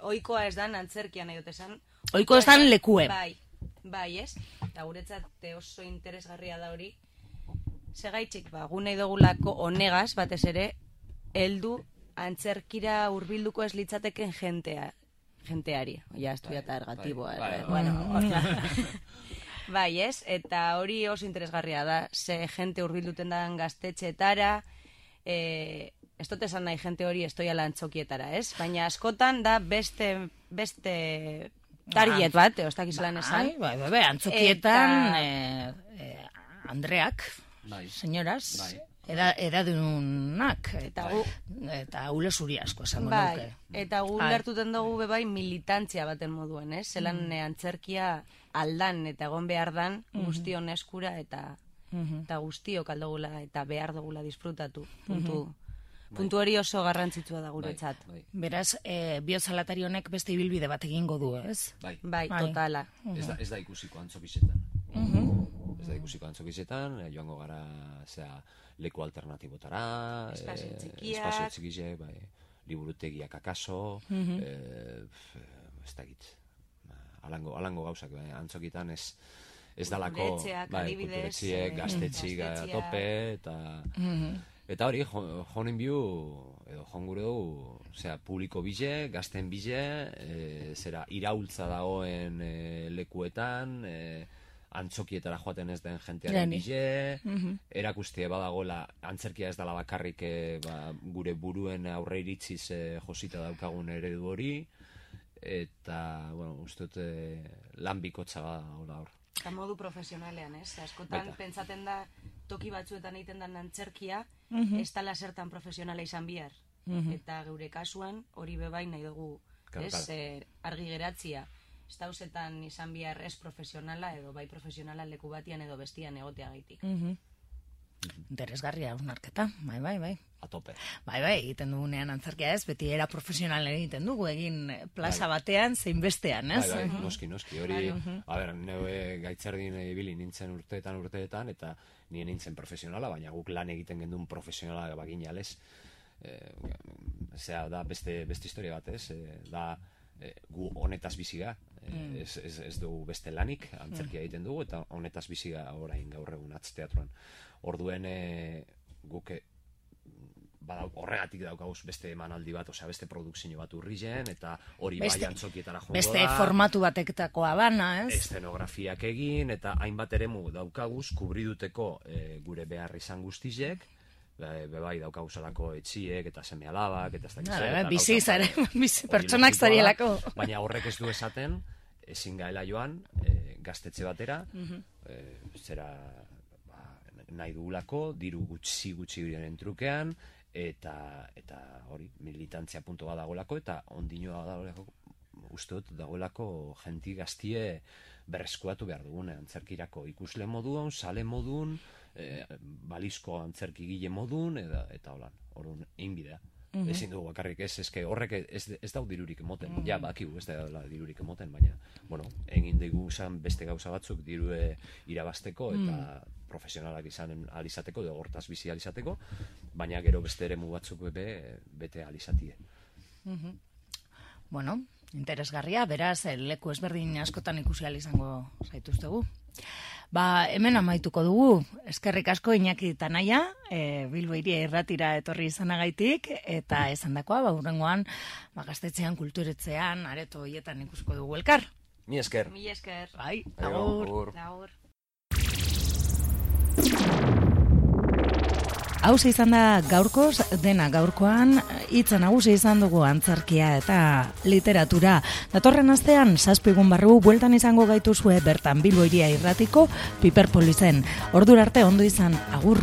Speaker 5: oikoa ez dan antzerkian nahi dut esan.
Speaker 1: Oiko ez dan lekue.
Speaker 5: Bai, bai ez, eta guretzat oso interesgarria da hori. Segaitxik, ba, gu nahi dugulako honegaz, batez ere, heldu antzerkira hurbilduko ez litzateken jentea, jenteari. Ja, estudiata ergatiboa. Bueno, bai, ez? Eta hori oso interesgarria da. Ze jente hurbilduten dan gaztetxeetara, eh, ez dut esan nahi jente hori estoiala antzokietara, ez? Baina askotan da beste, beste target bat, eostak izalan esan.
Speaker 1: Bai, bai, bai, antzokietan, eh, eh, Andreak, senyoras, Eda, edadunak,
Speaker 5: Eta
Speaker 1: eta,
Speaker 5: gu-
Speaker 1: eta ule zuri asko esango
Speaker 5: Bai,
Speaker 1: nuke.
Speaker 5: eta gu
Speaker 1: Bai.
Speaker 5: lertuten dugu be bai militantzia baten moduen, ez? Zelan mm. antzerkia aldan eta egon behar dan guztion eskura eta eta guztiok aldogula eta behar dugula disfrutatu. Puntu, puntu hori oso garrantzitsua da guretzat.
Speaker 4: Bai,
Speaker 1: Beraz, e, biozalatari honek beste ibilbide bat egingo du, ez?
Speaker 4: bai.
Speaker 5: Bai,
Speaker 1: Bai.
Speaker 5: totala.
Speaker 4: Ez da, ez da ikusiko antzokizetan. Ez da ikusiko antzokizetan, eh, joango gara, zera, leku alternatibotara,
Speaker 5: Espazio
Speaker 4: eh,
Speaker 5: txikiak.
Speaker 4: espazio txikiak, bai, liburutegiak akaso, eh, ez da git, alango, alango gauzak, bai, antzokitan ez, ez dalako,
Speaker 5: Kulturetxeak,
Speaker 4: bai,
Speaker 5: adibidez,
Speaker 4: kulturetxiek,
Speaker 5: eh,
Speaker 4: gaztetxik a
Speaker 5: gaztetxeak.
Speaker 4: tope, eta... Eta hori, jo- jonen biu, edo jongure dugu, zera, publiko bile, gazten bile, e, zera, iraultza dagoen e, lekuetan, e, antzokietara joaten ez den jentearen
Speaker 1: Jani.
Speaker 4: bile, erakustie badagoela, antzerkia ez dela bakarrik e, ba, gure buruen aurre iritziz e, josita daukagun eredu hori, eta, bueno, uste dut e, lan bikotza badagoela hor.
Speaker 5: Eta modu profesionalean, ez? Askotan
Speaker 4: Baita.
Speaker 5: pentsaten da toki batzuetan egiten den antzerkia, ez dala zertan profesionala izan bihar. Eta geure kasuan hori bebai nahi dugu,
Speaker 4: Claro,
Speaker 5: ez?
Speaker 4: claro.
Speaker 5: Eh, argi geratzia. Ez dauzetan izan bihar ez profesionala edo bai profesionala leku batian edo bestian egoteagaitik.
Speaker 1: Interesgarria hausnarketa, bai, bai, bai.
Speaker 4: A tope.
Speaker 1: Bai, bai, egiten dugunean antzerkia ez, beti era profesionalen egiten dugu, egin plaza batean, zein bestean, ez?
Speaker 4: Bai, bai, noski, noski, hori, a ber, neue gaitzerdin ibili nintzen urteetan urteetan, eta nire nintzen profesionala, baina guk lan egiten gendun profesionala bagina, ez? E, zera, da beste, beste historia bat, ez? E, da, e, gu honetaz biziga, e, ez, ez, ez dugu beste lanik, antzerkia egiten dugu, eta honetaz biziga orain gaur egun atzteatruan. Orduen, e, guk e, badau, horregatik daukaguz beste emanaldi bat, osea beste produkzio bat urrilen, eta hori bai
Speaker 1: Beste-
Speaker 4: antzokietara jongo
Speaker 1: Beste
Speaker 4: da.
Speaker 1: formatu bateketakoa bana, ez?
Speaker 4: Eszenografiak egin, eta hainbat eremu daukaguz, kubriduteko e, gure behar izan guztizek, be, be bai daukaguzalako etxiek, eta seme alabak, eta ez dakiz,
Speaker 1: Hala,
Speaker 4: eta
Speaker 1: bizi
Speaker 4: gauza-
Speaker 1: zare, bizi
Speaker 4: hori
Speaker 1: pertsonak
Speaker 4: logikoa da,
Speaker 1: zarielako.
Speaker 4: Baina horrek ez du esaten, ezin gaela joan, e, gaztetxe batera, e, zera, ba, nahi dugulako, diru gutxi gutxi hurien trukean, eta eta hori militantzia punto bat dagoelako, eta ondinoa dagoelako, uste dut dagoelako jenti gaztie berreskuatu behar dugune, antzerkirako ikusle modun, sale modun, e, balizko antzerkigile modun, eta, eta holan, orduan, egin bidea. Ezin dugu bakarrik ez, eske horrek ez, ez dau dirurik emoten, ja, bakigu ez da dirurik emoten, baina, bueno, egin dugu zan beste gauza batzuk dirue irabasteko, eta profesionalak izan alizateko, edo hortaz bizi alizateko, baina gero beste eremu batzuk be, bete alizatie.
Speaker 1: Bueno, interesgarria, beraz, eh, leku ezberdin askotan ikusi ahal izango zaituztegu. Ba, hemen amaituko dugu, eskerrik asko Iñaki Tanaia, e, Bilbo Hiria Irratira etorri izanagaitik, eta esandakoa, ba, hurrengoan, ba, gaztetxean, kulturetzean, areto hoietan ikusiko dugu elkar.
Speaker 4: Ni esker.
Speaker 5: Mila esker.
Speaker 1: Bai,
Speaker 4: Aio,
Speaker 1: agur.
Speaker 4: agur.
Speaker 5: Agur.
Speaker 1: Hau izan da gaurkoz, dena gaurkoan, hitza nagusi izan dugu antzerkia eta literatura. Datorren astean, zazpigun barru, bueltan izango gaituzue bertan Bilbo Hiria Irratiko Piperpolizen. Ordura arte ondo izan, agur.